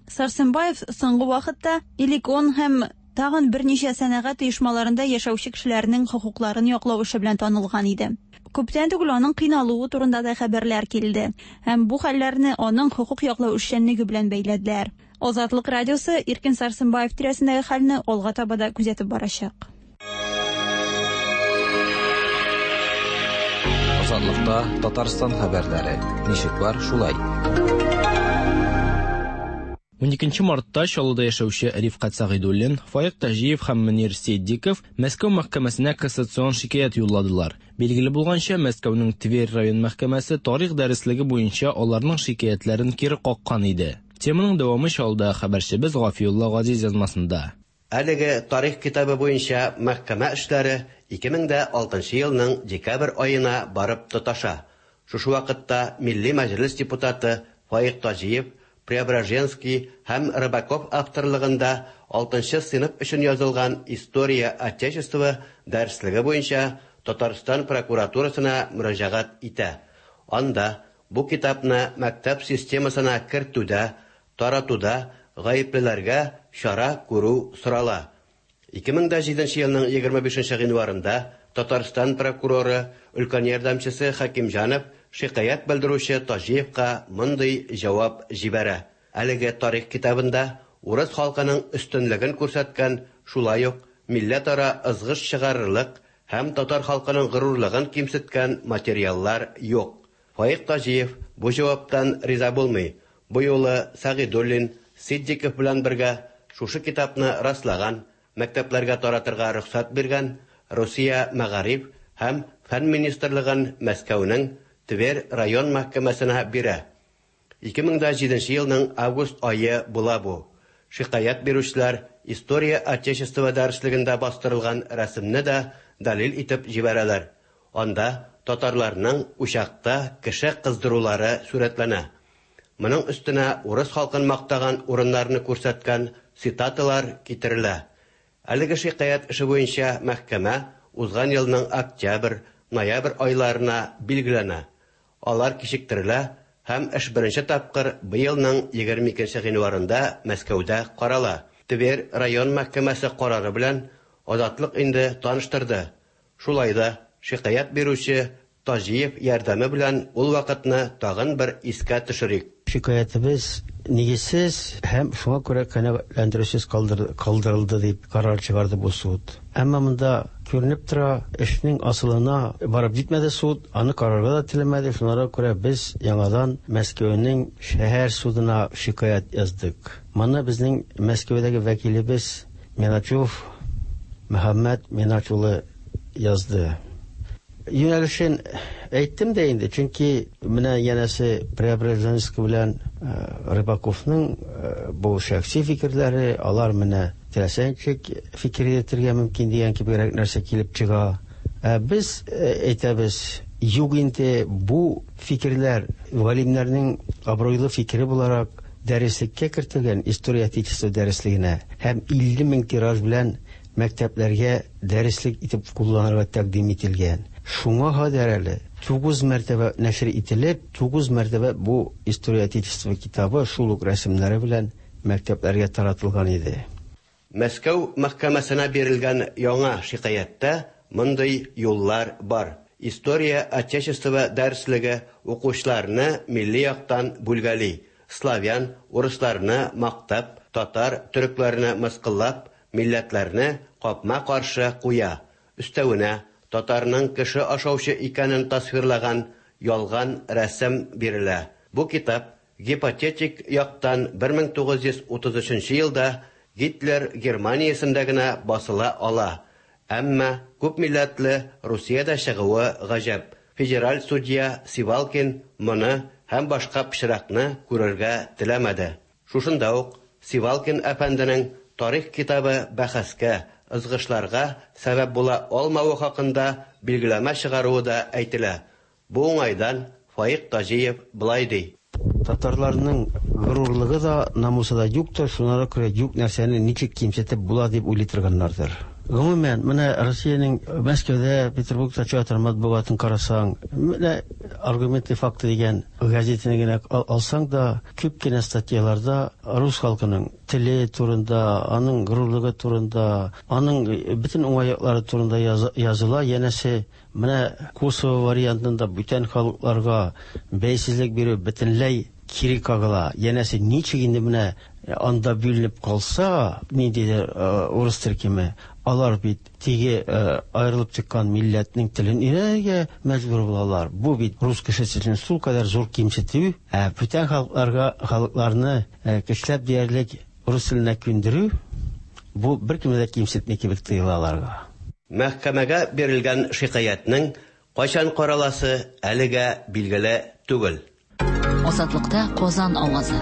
Сәрсенбаев соңгы вакытта Элекон һәм тагын берничә сәнәгать оешмаларында яшәүче кешеләрнең хокукларын яклау эше белән танылган иде. Күптән түгел аның кыйналуы турында да хәбәрләр килде һәм бу хәлләрне аның хокук яклау эшчәнлеге белән бәйләделәр. Азатлык радиосы Иркен Сәрсенбаев тирәсендәге хәлне алга таба да күзәтеп барачак. Азатлыкта Татарстан хәбәрләре. Ничек бар, шулай. 12 мартта Чаллыда яшәүче Рифкать Сәгыйдуллин, Фаик Таҗиев һәм Мөнир Ситдиков Мәскәү мәхкәмәсенә кассацион шикаять юлладылар. Билгеле булганча, Мәскәүнең Тверь район мәхкәмәсе тарих дәреслеге буенча аларның шикаятьләрен кире каккан иде. Теманың дәвамы Чаллыдагы хәбәрчебез Гафиулла Газиз язмасында. Әлеге тарих китабы буенча мәхкәмә эшләре 2006 елның декабрь аена барып тоташа. Шушы вакытта Милли Мәҗлес депутаты Фаик Таҗиев Преображенский һәм Рыбаков авторлыгында алтынчы сыйныф өчен язылган История Отечества дәреслеге буенча Татарстан прокуратурасына мөрәҗәгать итә. Анда бу китапны мәктәп системасына кертүдә, таратуда гаеплеләргә чара күрү сорала. 2007 елның 25 гыйнварында Татарстан прокуроры өлкән ярдәмчесе Хәкимҗанов шикаять белдерүче Таҗиевка мондый җавап җибәрә. Әлеге тарих китабында урыс халкының өстенлеген күрсәткән, шулай ук милләтара ызгыш чыгарырлык һәм татар халкының горурлыгын кимсеткән материаллар юк. Фаик Таҗиев бу җаваптан риза булмый. Бу юлы Сәгыйдуллин, Ситдиков белән бергә шушы китапны раслаган, мәктәпләргә таратырга рөхсәт биргән Русия Мәгариф һәм фән министрлыгын Мәскәүнең Тверь район мәхкәмәсенә бирә. 2007 елның август ае була бу. Шикаять бирүчеләр История Отечества дәреслегендә бастырылган рәсемне дә дәлил итеп җибәрәләр. Анда татарларның учакта кеше кыздырулары сурәтләнә. Моның өстенә урыс халкын мактаган урыннарны күрсәткән цитаталар китерелә. Әлеге шикаять эше буенча мәхкәмә узган елның октябрь, ноябрь айларына билгеләнә. Алар кичектерелә һәм эш беренче тапкыр быелның 22 гыйнварында Мәскәүдә карала. Тверь район мәхкәмәсе карары белән Азатлык инде таныштырды. Шулай да шикаять бирүче Таҗиев ярдәме белән ул вакытны тагын бер искә төшерик. Шикаятебез нигезсез һәм шуңа күрә канәгатьләндерүсез калдырылды дип карар чыгарды бу суд. Әмма монда күренеп тора, эшнең асылына барып җитмәде суд, аны карарга да теләмәде. Шуңа күрә без яңадан Мәскәүнең шәһәр судына шикаять яздык. Моны безнең Мәскәүдәге вәкилебез Миначев Мөхәммәт Минач улы язды. Юнәлешен әйттем дә инде, чөнки менә янәсе Преображенский белән Рыбаковның бу шәхси фикерләре, алар менә теләсә ничек фикер йөртергә мөмкин дигән кебегрәк нәрсә килеп чыга. Ә без әйтәбез, юк инде бу фикерләр галимнәрнең абруйлы фикере буларак дәреслеккә кертелгән История Отечества дәреслегенә һәм 50 мең тираж белән мәктәпләргә дәреслек итеп кулланырга тәкъдим ителгән. Шуңа кадәр әле 9 мәртәбә нәшер ителеп, 9 мәртәбә бу История Отечества китабы шул ук рәсемнәре белән мәктәпләргә таратылган иде. Мәскәү мәхкәмәсенә бирелгән яңа шикаятьтә мондый юллар бар. История Отечества дәреслеге укучыларны милли яктан бүлгәли, славян, урысларны мактап, татар, төрекләрне мыскыллап, милләтләрне капма-каршы куя. Өстәвенә, татарның кеше ашаучы икәнен тасвирлаган ялган рәсем бирелә. Бу китап гипотетик яктан 1933 елда Гитлер Германиясендә генә басыла ала. Әмма күпмилләтле Русиядә чыгуы гаҗәп. Федераль судья Сивалкин моны һәм башка пычракны күрергә теләмәде. Шушында ук Сивалкин әфәнденең тарих китабы бәхәскә, ызгышларга сәбәп була алмавы хакында билгеләмә чыгаруы да әйтелә. Бу уңайдан Фаик Таҗиев болай ди. Татарларның горурлыгы да, намусы да юктыр, шуңа күрә юк нәрсәне ничек кимсетеп була дип уйлый торганнардыр. Гомумән, менә Россиянең Мәскәүдә, Петербургта чыга торган матбугатын карасаң, менә Аргументы и факты дигән газетаны генә алсаң да, күп кенә статьяларда рус халкының теле турында, аның горурлыгы турында, аның бөтен уңай яклары турында языла. Янәсе, менә Косово вариантында бүтән халыкларга бәйсезлек бирү бөтенләй кире кагыла. Янәсе, ничек инде менә анда бүленеп калса, ниндидер урыс төркеме, алар бит теге аерылып чыккан милләтнең телен өйрәнергә мәҗбүр булалар. Бу бит рус кешесе өчен шулкадәр зур кимсетү, ә бүтән халыкларга халыкларны көчләп диярлек рус теленә күндерү, бу беркемне дә кимсетми кебек тоела аларга. Мәхкәмәгә бирелгән шикаятьнең кайчан караласы әлегә билгеле түгел. Азатлыкта Казан авазы.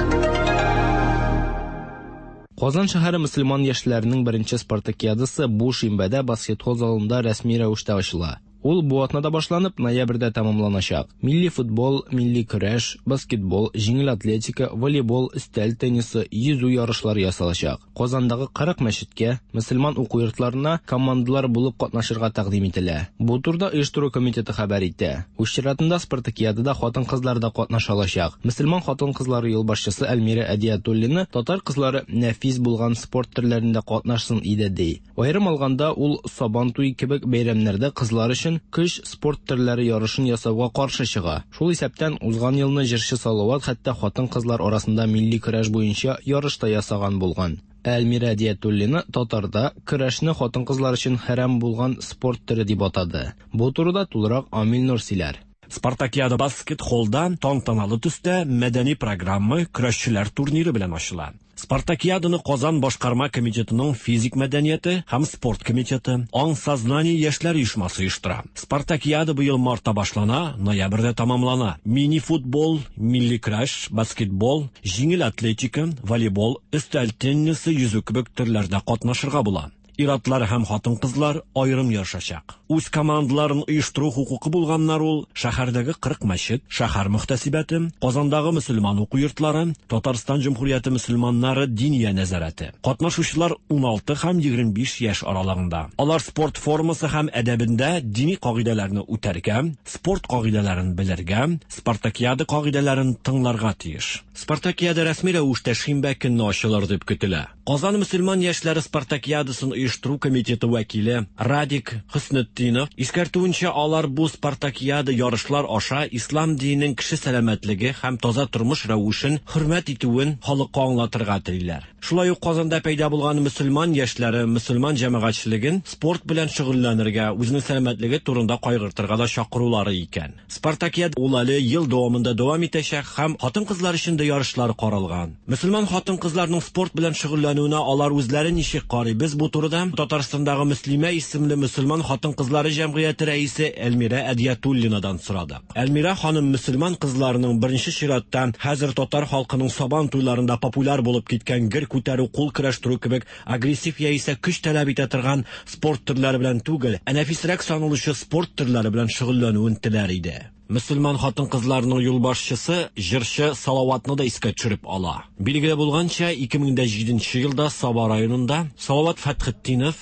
Казан шәһәре мөселман яшьләренең беренче спартакиадасы бу шимбәдә баскетбол залында рәсми рәвештә ачыла. Ул бу атнада башланып, ноябрьдә тәмамланачак. Милли футбол, милли көрәш, баскетбол, җиңел атлетика, волейбол, өстәл теннисы, йөзү ярышлары ясалачак. Казандагы 40 мәчеткә, мөселман уку йортларына командалар булып катнашырга тәкъдим ителә. Бу турыда оештыру комитеты хәбәр итә. Үз чиратында спартакиадада хатын-кызлар да катнаша алачак. Мөселман хатын-кызлары юлбашчысы Әлмирә Әдиятуллина татар кызлары нәфис булган спорт төрләрендә катнашсын иде ди. Аерым алганда, ул Сабан туе кебек бәйрәмнәрдә кызлар өчен көч спорт төрләре ярышын ясауга каршы чыга. Шул исәптән, узган елны җырчы Салават хәтта хатын-кызлар арасында милли көрәш буенча ярыш та ясаган булган. Ә Әлмирә Әдиятуллина татарда көрәшне хатын-кызлар өчен хәрам булган спорт төре дип атады. Бу турыда тулырак Амил Нур сөйләр. Спартакиада баскет-холлда тантаналы төстә мәдәни программа, көрәшчеләр турниры белән ачыла. Спартакиаданы Казан башкарма комитетының физик мәдәнияте һәм спорт комитеты, Аң сознание яшьләр оешмасы оештыра. Спартакиада быел мартта башлана, ноябрьдә тәмамлана. Мини-футбол, милли көрәш, баскетбол, җиңел атлетика, волейбол, өстәл теннисы, йөзү кебек төрләрдә катнашырга була. Ир-атлар һәм хатын-кызлар аерым ярышачак. Үз командаларын оештыру хокукы булганнар ул шәһәрдәге 40 мәчет, шәһәр мөхтәсибәте, Казандагы мөселман уку йортлары, Татарстан Җөмһүрияте мөселманнары Диния нәзарәте. Катнашучылар 16 һәм 25 яшь аралыгында. Алар спорт формасы һәм әдәбендә дини кагыйдәләрне үтәргә, спорт кагыйдәләрен белергә, спартакиада кагыйдәләрен тыңларга тиеш. Спартакиада рәсми рәвештә шимбә көнне ачылыр дип көтелә. Казан мөселман яшьләре спартакиадасын оештыру комитеты вәкиле Радик Хөснетдинов искәртүенчә, алар бу спартакиада ярышлар аша ислам диненең кеше сәламәтлеге һәм таза тормыш рәвешен хөрмәт итүен халыкка аңлатырга телиләр. Шулай ук Казанда пәйда булган мөселман яшьләре мөселман җәмәгатьчелеген спорт белән шөгыльләнергә, үзенең сәламәтлеге турында кайгыртырга да чакырулары икән. Спартакиада ул әле ел дәвамында дәвам итәчәк һәм хатын-кызлар өчен дә ярышлар каралган. Мөселман хатын-кызларының спорт белән шөгыльләнүенә алар үзләре ничек карый? Без бу турыда Татарстандагы Мөслимә исемле мөселман хатын-кызлары җәмгыяте рәисе Әлмирә Әдиятуллинадан сорадык. Әлмирә ханым мөселман кызларының беренче чиратта хәзер татар халкының сабан туйларында популяр булып киткән гер күтәрү, кул көрәштерү кебек агрессив яисә көч таләп итә торган спорт төрләре белән түгел, ә нәфисрәк саналучы спорт төрләре белән шөгыльләнүен теләр иде. Мөселман хатын-кызларының юлбашчысы җырчы Салаватны да искә төшереп ала. Билгеле булганча, 2007 елда Саба районында Салават Фәтхетдинов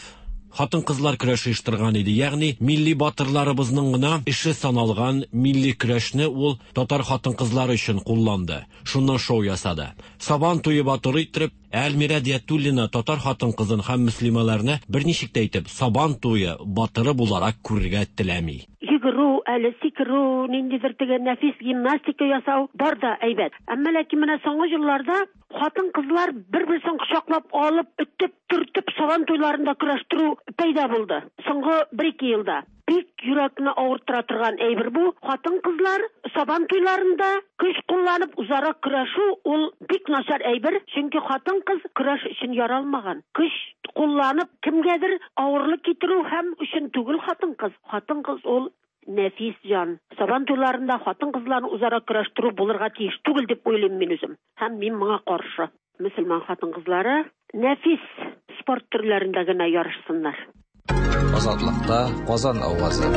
хатын-кызлар көрәше оештырган иде. Ягъни милли батырларыбызның гына эше саналган милли көрәшне ул татар хатын-кызлары өчен кулланды. Шуннан шоу ясады. Сабан туе батыры иттереп, Әлмирә Диятуллина татар хатын-кызын һәм мөслимәләрне берничек тә итеп Сабан туе батыры буларак күрергә теләми. Йөгерү, әле сикерү, ниндидер теге нәфис гимнастика ясау бар да әйбәт. Әмма ләкин менә соңгы елларда хатын-кызлар бер-берсен кочаклап алып, өтеп, төртеп сабан туйларында көрәштерү пәйда булды. Соңгы бер-ике елда. Бик йөрәкне авырттыра торган әйбер бу. Хатын-кызлар сабан туйларында көч кулланып үзара көрәшү ул бик начар әйбер, чөнки хатын-кыз көрәш өчен яралмаган. Көч кулланып кемгәдер авырлык китерү һәм өчен түгел хатын-кыз. Хатын-кыз ул нәфис җан. Сабан туйларында хатын-кызларны үзара көрәштерү булырга тиеш түгел дип уйлыйм мин үзем. Һәм мин моңа каршы. Мөселман хатын-кызлары нәфис спорт төрләрендә генә ярышсыннар. Азатлыкта Казан авазы.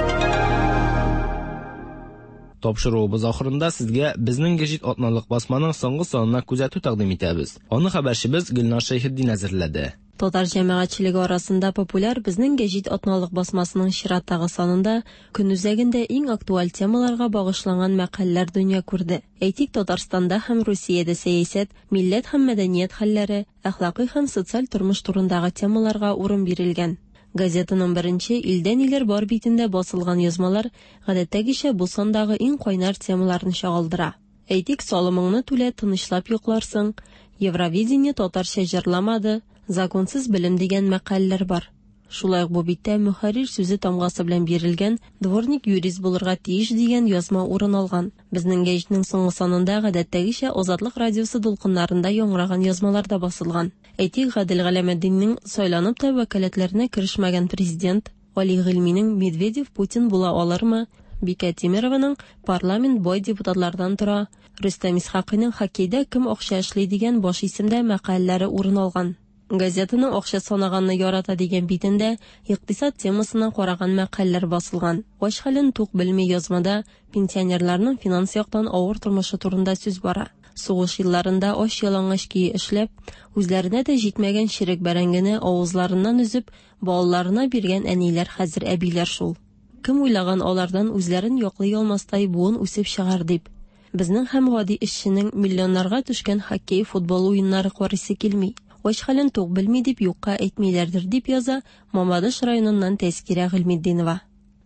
Тапшыруыбыз ахырында сезгә безнең гәҗит атналык басманың соңгы санына күзәтү тәкъдим итәбез. Аны хәбәрчебез Гөлнар Шәйхетдин әзерләде. Татар җәмәгатьчелеге арасында популяр безнең гәҗит атналык басмасының чираттагы санында көн үзәгендә иң актуаль темаларга багышланган мәкаләләр дөнья күрде. Әйтик, Татарстанда һәм Русиядә сәясәт, милләт һәм мәдәният хәлләре, әхлакый һәм социаль тормыш турындагы темаларга урын бирелгән. Газетаның беренче Илдә ниләр бар битендә басылган язмалар гадәттәгечә бу сандагы иң кайнар темаларны чагылдыра. Әйтик, салымыңны түлә, тынычлап йокларсың, Евровидение татарча җырламады, Законсыз белем дигән мәкаләләр бар. Шулай ук бу биттә мөхәррир сүзе тамгасы белән бирелгән Дворник юрист булырга тиеш дигән язма урын алган. Безнең гәҗитнең соңгы санында гадәттәгечә Азатлык радиосы дулкыннарында яңгыраган язмалар да басылган. Әйтик, Гадел Галәметдиннең Сайланып та вәкаләтләренә керешмәгән президент, Гали Гыйльминең Медведев Путин була алырмы, Бикә Тимерованың Парламент бай депутатлардан тора, Рөстәм Исхакыйның Хоккейда кем акча эшли дигән баш исемдә мәкаләләре урын алган. Газетаның Акча санаганны ярата дигән битендә икътисад темасына караган мәкаләләр басылган. Ач хәлен тук белми язмада пенсионерларның финанс яктан авыр тормышы турында сүз бара. Сугыш елларында ач-ялангач көе эшләп, үзләренә дә җитмәгән черек бәрәңгене авызларыннан өзеп, балаларына биргән әниләр хәзер әбиләр шул. Кем уйлаган алардан үзләрен яклый алмастай буын үсеп чыгар дип. Безнең һәм гади эшченең миллионнарга төшкән хоккей, футбол уеннары карыйсы килми. Ач хәлен тук белми дип юкка әйтмиләрдер, дип яза Мамадыш районыннан Тәзкирә Гыйльметдинова.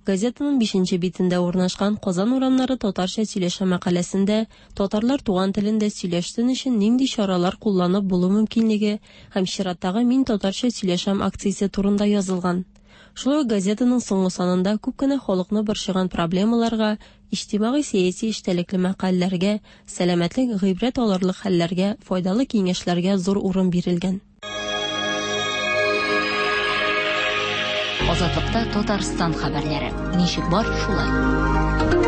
Газетаның бишенче битендә урнашкан Казан урамнары татарча сөйләшә мәкаләсендә татарлар туган телендә сөйләшсен өчен нинди чаралар кулланып булу мөмкинлеге һәм чираттагы Мин татарча сөйләшәм акциясе турында язылган. Шулай ук газетаның соңгы санында күп кенә халыкны борчыган проблемаларга, иҗтимагый-сәяси эчтәлекле мәкаләләргә, сәламәтлек, гыйбрәт алырлык хәлләргә, файдалы киңәшләргә зур урын бирелгән. Азатлыкта Татарстан хәбәрләре. Ничек бар, шулай.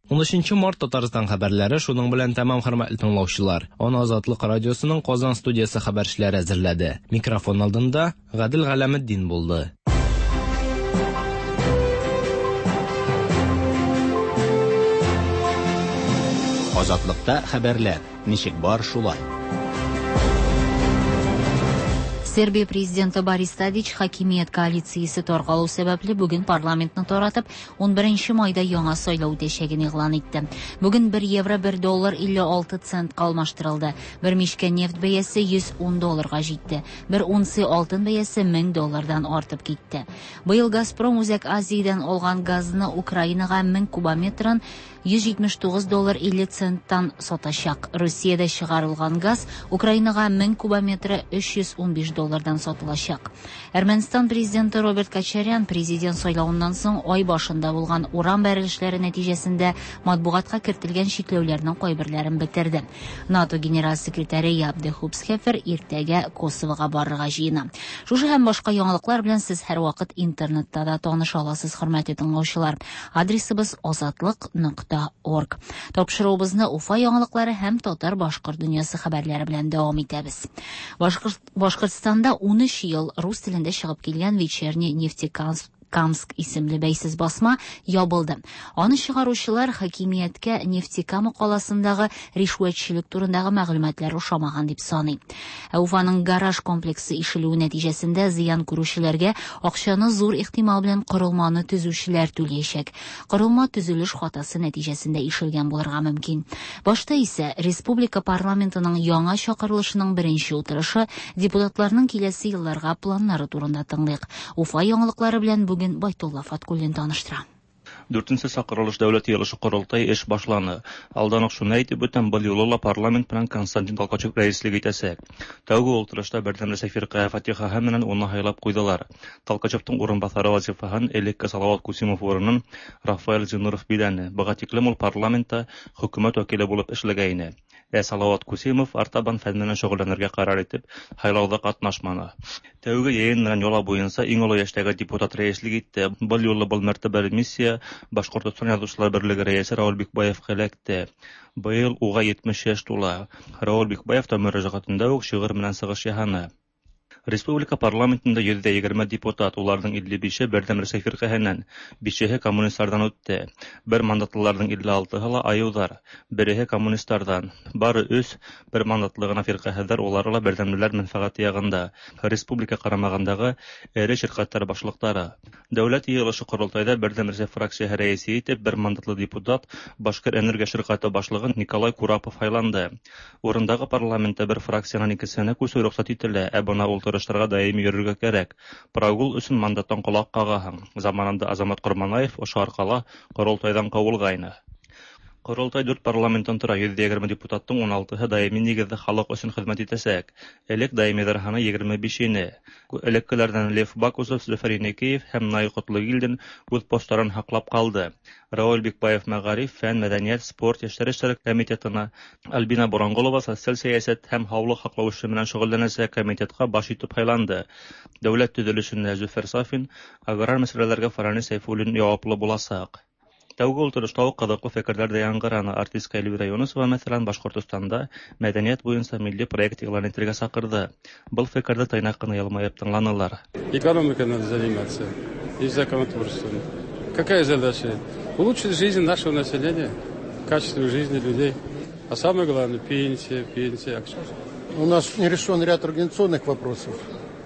13 март Татарстан хәбәрләре шуның белән тәмам, хөрмәтле тыңлаучылар. Аны Азатлык радиосының Казан студиясе хәбәрчеләре әзерләде. Микрофон алдында Гадел Галәметдин булды. Азатлыкта хәбәрләр. Ничек бар, шулай. Сербия президенты Борис Тадич хакимият коалициясе таркалу сәбәпле бүген парламентны таратып, 11 майда яңа сайлау үтәчәген игълан итте. Бүген 1 евро 1 доллар 56 центка алмаштырылды. Бер мичкә нефть бәясе 110 долларга җитте. Бер унция алтын бәясе 1000 доллардан артып китте. Быел Газпром Үзәк Азиядән алган газны Украинага 1000 кубометрын 179 доллар 50 центтан сатачак. Русиядә чыгарылган газ Украинага 1000 кубометры 315 доллардан сатылачак. Әрмәнстан президенты Роберт Кочарян президент сайлавыннан соң ай башында булган урам бәрелешләре нәтиҗәсендә матбугатка кертелгән чикләүләрнең кайберләрен бетерде. НАТО генераль секретаре Яп де Хупсхефер иртәгә Косовога барырга җыена. Шушы һәм башка яңалыклар белән сез һәрвакыт интернетта да таныша аласыз, хөрмәтле тыңлаучылар. Адресыбыз азатлык нокта орг. Тапшыруыбызны Уфа яңалыклары һәм татар-башкорт дөньясы хәбәрләре белән дәвам итәбез. Башкортстанда 13 ел рус телендә чыгып килгән Вечерний Нефтекамск Камск исемле бәйсез басма ябылды. Аны чыгаручылар хакимияткә Нефтекама каласындагы ришвәтчелек турындагы мәгълүматлар ошамаган дип саный. Ә Уфаның гараж комплексы ишелүе нәтиҗәсендә зыян күрүчеләргә акчаны зур ихтимал белән корылманы төзүчеләр түләячәк. Корылма төзелеш хатасы нәтиҗәсендә ишелгән булырга мөмкин. Башта исә республика парламентының яңа чакырылышының беренче утырышы депутатларның киләсе елларга планнары турында тыңлыйк. Уфа яңалыклары белән бүген Байтулла Фаткуллин таныштыра. Дүртенче чакырылыш Дәүләт Җыелышы Корылтай эш башланы. Алдан ук шуны әйтеп үтәм, был юлы ла парламент белән Константин Толкачев рәислек итәчәк. Тәүге ултырышта Бердәм Рәсәй фиркаһы фатихаһы менән уны һайлап куйдылар. Толкачевтың урынбасары вазифаһын элекке Салават Кусимов урынын Рафаэль Зиннуров биләне. Быга тиклем ул парламентта хөкүмәт вәкиле булып эшләгәйне. Ә Салават Кусимов артабан фән менән шөгыльләнергә карар итеп, һайлауда катнашманы. Тәүге йыйын менән йола буенча иң олы яшьтәге депутат рәислек итте. Был юлы был мәртәбәле миссия Башкортостан Язучылар берлеге рәисе Рауль Бикбаевка эләкте. Быел уга 70 яшь тула. Рауль Бикбаев та мөрәҗәгатендә үк шигырь менән чыгыш яһаны. Республика парламентында 120 депутат, уларның 55-е Бердәм Рәсәй фиркаһеннән, бишеһе коммунистлардан үтте. Бер мандатлыларның 56-һы ла аюлар, береһе коммунистлардан. Бары өч бер мандатлы гына фиркаһеләр, улары ла бердәмлеләр мәнфәгате ягында. Республика карамагындагы эре ширкәтләр башлыклары. Дәүләт йыелышы корылтайда Бердәм Рәсәй фракцияһе рәисе итеп бер мандатлы депутат, Башкир энергия ширкәте башлыгы Николай Курапов һайланды. Урындагы парламентта бер фракциянең икесенә күчү рөхсәт ителә, ә бына ултырышларга даими йөрергә кәрәк. Прогул өчен мандаттан колак кагаһың. Заманында Азамат Корманаев ошо аркала корылтайдан куылгайны. Корылтай дүрт парламенттан тора, 120 депутаттың 16-һы даими нигездә халык өчен хезмәт итәчәк. Элек даимиләр саны 25 ине. Элеккеләрдән Лев Бакусов, Зөфәр Еникеев һәм Наил Котлыгилдин үз постларын һаклап калды. Равил Бикбаев мәгариф, фән, мәдәният, спорт, яшьләр эшләре комитетына, Альбина Буранголова социаль сәясәт һәм һаулык һаклау эше белән шөгыльләнәчәк комитетка баш итеп һайланды. Дәүләт төзелешенә Зөфәр Сафин, аграр мәсьәләләргә Фаранис Сәйфуллин җаваплы булачак. Тәүге утырышта ук кызыклы фикерләр дә яңгыраны. Артистка Эльвира Юнысова, мәсәлән, Башкортостанда мәдәният буенча милли проект игълан итәргә чакырды. Был фикерде тыйнак кына елмаеп тыңланылар. Экономикой надо заниматься и законотворчеством. Какая задача? Улучшить жизнь нашего населения, качество жизни людей. А самое главное – пенсия, пенсия. У нас не решен ряд организационных вопросов.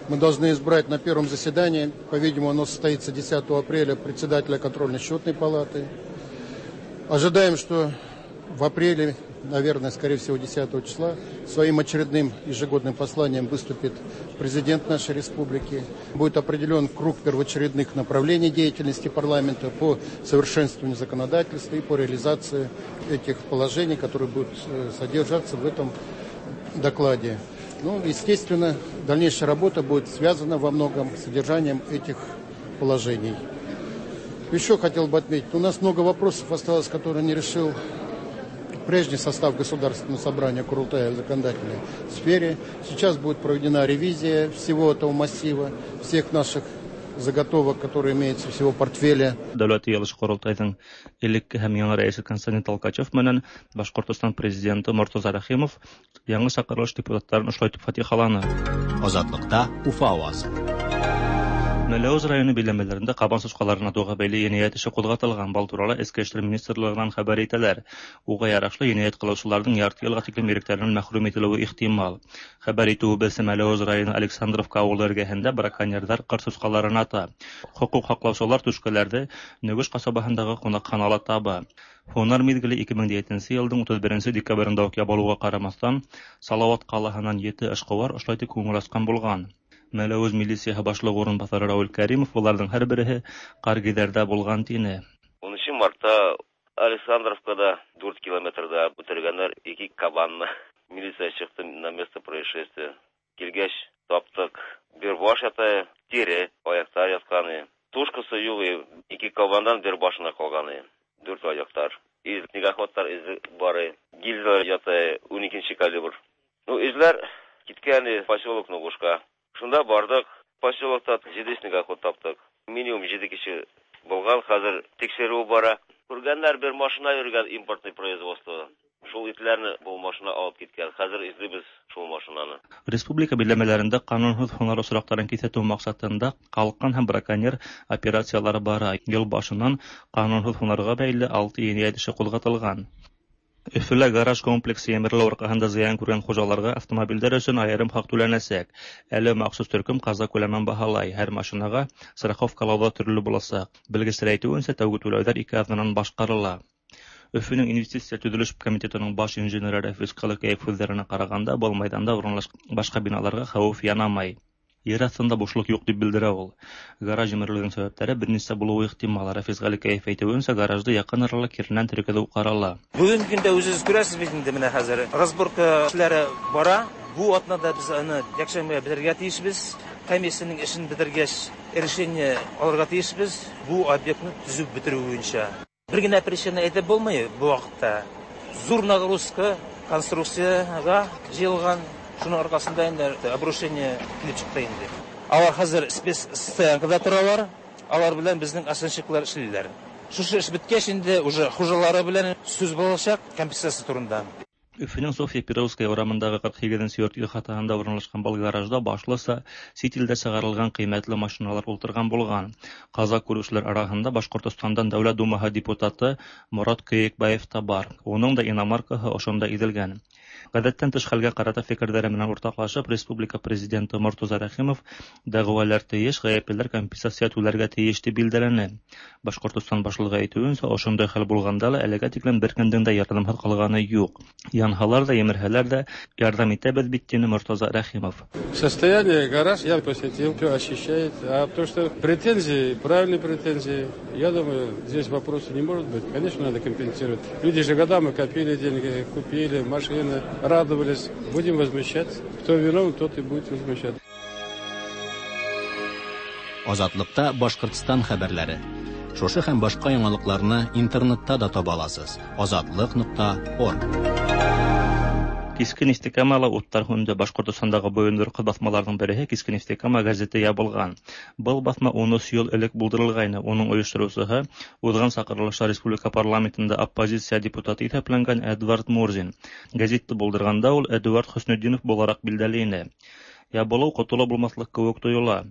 Мы должны избрать на первом заседании, по-видимому, оно состоится 10 апреля, председателя контрольно-счетной палаты. Ожидаем, что в апреле, наверное, скорее всего, 10 числа, своим очередным ежегодным посланием выступит президент нашей республики. Будет определен круг первоочередных направлений деятельности парламента по совершенствованию законодательства и по реализации этих положений, которые будут содержаться в этом докладе. Ну, естественно, дальнейшая работа будет связана во многом с содержанием этих положений. Еще хотел бы отметить, у нас много вопросов осталось, которые не решил прежний состав Государственного собрания Курултая в законодательной сфере. Сейчас будет проведена ревизия всего этого массива, всех наших заготовок, которые имеются всего портфеля. Дәүләт җыелышы Корылтайның элекке һәм яңа рәисе Константин Толкачев менән Башкортостан президенты Мортаза Рәхимов яңа чакырылыш депутатларын ошолай итеп фатихаланы. Азатлыкта Уфа авазы. Мәләвез районы биләмәләрендә кабан сучкаларын атуга бәйле җинаять эше кузгатылган. Бал туралы Эчке эшләр министрлыгыннан хәбәр итәләр. Уга ярашлы җинаять кылучыларның ярты елга тиклем ирекләреннән мәхрүм ителүе ихтимал. Хәбәр итүебезчә, Мәләвез районы Александровка авылы эргәһендә браконьерлар кыр сучкаларын ата. Хокук һаклаучылар түшкәләрне Нөгеш касабаһындагы кунакханала таба. Һунар мизгеле 2007 елның 31 декабрендә үк ябылуга карамастан, Салават калаһыннан 7 эшкуар ошолай итеп күңел ачкан булган. Мәләвез милицияһы башлыгы урынбасары Равил Кәримов буларның һәрбереһе Каргидәрдә булган тине. 10 мартта Александровкада 4 километрда үтергәннәр 2 кабанны. Милиция чыкты на место происшествия. Килгәч таптык. Бер баш ята, тире, аяктар ятканы. Тушкасы юк, 2 кабандан бер башына калганы. 4 аяктар. Из снегоходтар изе бары. Гильзалар ята, 12 калибр. Ну, изләр киткән поселок Ногушка. Шунда бардык, поселокта 7 снегоход таптык. Минимум 7 кеше булган, хәзер тикшерү бара. Күргәннәр бер машина йөргән импортный производство. Шул итләрне бу машина алып киткән. Хәзер эзлибез шул машинаны. Республика биләмәләрендә канунһыҙ һунар осраҡтарын киҫәтеү маҡсатында ҡалҡан һәм браконьер операциялары бара. Йыл башынан канунһыҙ һунарға бәйле 6 енәйәт эше ҡуҙғатылған. Өфөлә гараж комплексы емерелеү арҡаһында зыян күргән хужаларға автомобилдәр өсөн айырым хаҡ түләнәсәк. Әле махсус төркөм ҡаза күләмен баһалай. Һәр машинаға страховкалау ҙа төрлө буласаҡ. Белгестәр әйтеүенсә, тәүге түләүҙәр 2 аҙнанан башҡарыла. Өфөнөң инвестиция төҙөлөш комитетының баш инженеры Рәфис Ҡылыкәев һүҙҙәренә ҡарағанда, был майҙанда урынлашҡан башҡа биналарға хәүеф янамай. Ер аҫтында бушлыҡ юҡ тип белдерә ул. Гараж емерелеүҙең сәбәптәре бер нисә булыуы ихтимал. Рәфис Ғәликәев әйтеүенсә, гаражды яҡын арала киренән тергеҙеү ҡарала. Бөгөнгө көндә үҙегеҙ күрәсез бит инде, менә хәзер разборка эшләре бара. Бу атнада без аны якшәмбегә бетерергә тейешбез. Комиссияның эшен бетергәч, решение алырға тейешбез. Бу объектны төзеп бетерү буенча. Бер генә причина әйтеп булмый бу вакытта. Зур нагрузка конструкцияга җыелган. Шуның аркасында инде обрушение килеп чыкты инде. Алар хәзер спецстоянкада торалар. Алар белән безнең оценщиклар эшлиләр. Шушы эш беткәч инде уже хуҗалары белән сүз булачак компенсация турында. Өфөнөң Софья Перовская урамындагы 48 йорт ихатаһында урынлашкан был гаражда башлыса сит илдә сығарылған ҡиммәтле машиналар ултырған булған. Ҡаза күреүселәр араһында Башҡортостандан Дәүләт Думаһы депутаты Морат Көйөкбаев та бар. Уның да иномаркаһы ошонда иҙелгән. Гадәттән тыш хәлгә карата фикерләре белән уртаклашып, республика президенты Мортаза Рәхимов дәгъвалар тиеш, гаеплеләр компенсация түләргә тиеш дип билгеләне. Башкортостан башлыгы әйтүенчә, ошондай хәл булганда ла әлегә тиклем беркемнең дә ярдәмһез калганы юк. Янһалар да, емерһәләр дә ярдәм итәбез бит, дине Мортаза Рәхимов. Состояние гараж я посетил, все очищает. А то, что претензии, правильные претензии, я думаю, здесь вопроса не может быть. Конечно, надо компенсировать. Люди же годами копили деньги, купили машины, радовались. Будем возмущаться. Кто виновен, тот и будет возмущаться. Азатлыкта Башкортстан хәбәрләре. Шушы һәм башка яңалыкларны интернетта да таба аласыз. Азатлык.орг. Киске Нефтекамала уттар һүнде. Башкортостандагы бойындырыҡ баҫмаларҙың береһе Киске Нефтекама газеты ябылған. Был баҫма 13 йыл элек булдырылғайны. Уның ойоштороусыһы уҙған саҡырылышта республика парламентында оппозиция депутаты иҫәпләнгән Эдвард Мурзин. Газетты булдырғанда ул Эдуард Хөснетдинов булараҡ билдәле ине. Ябылыу ҡотолоп булмаҫлыҡ кеүек тойола.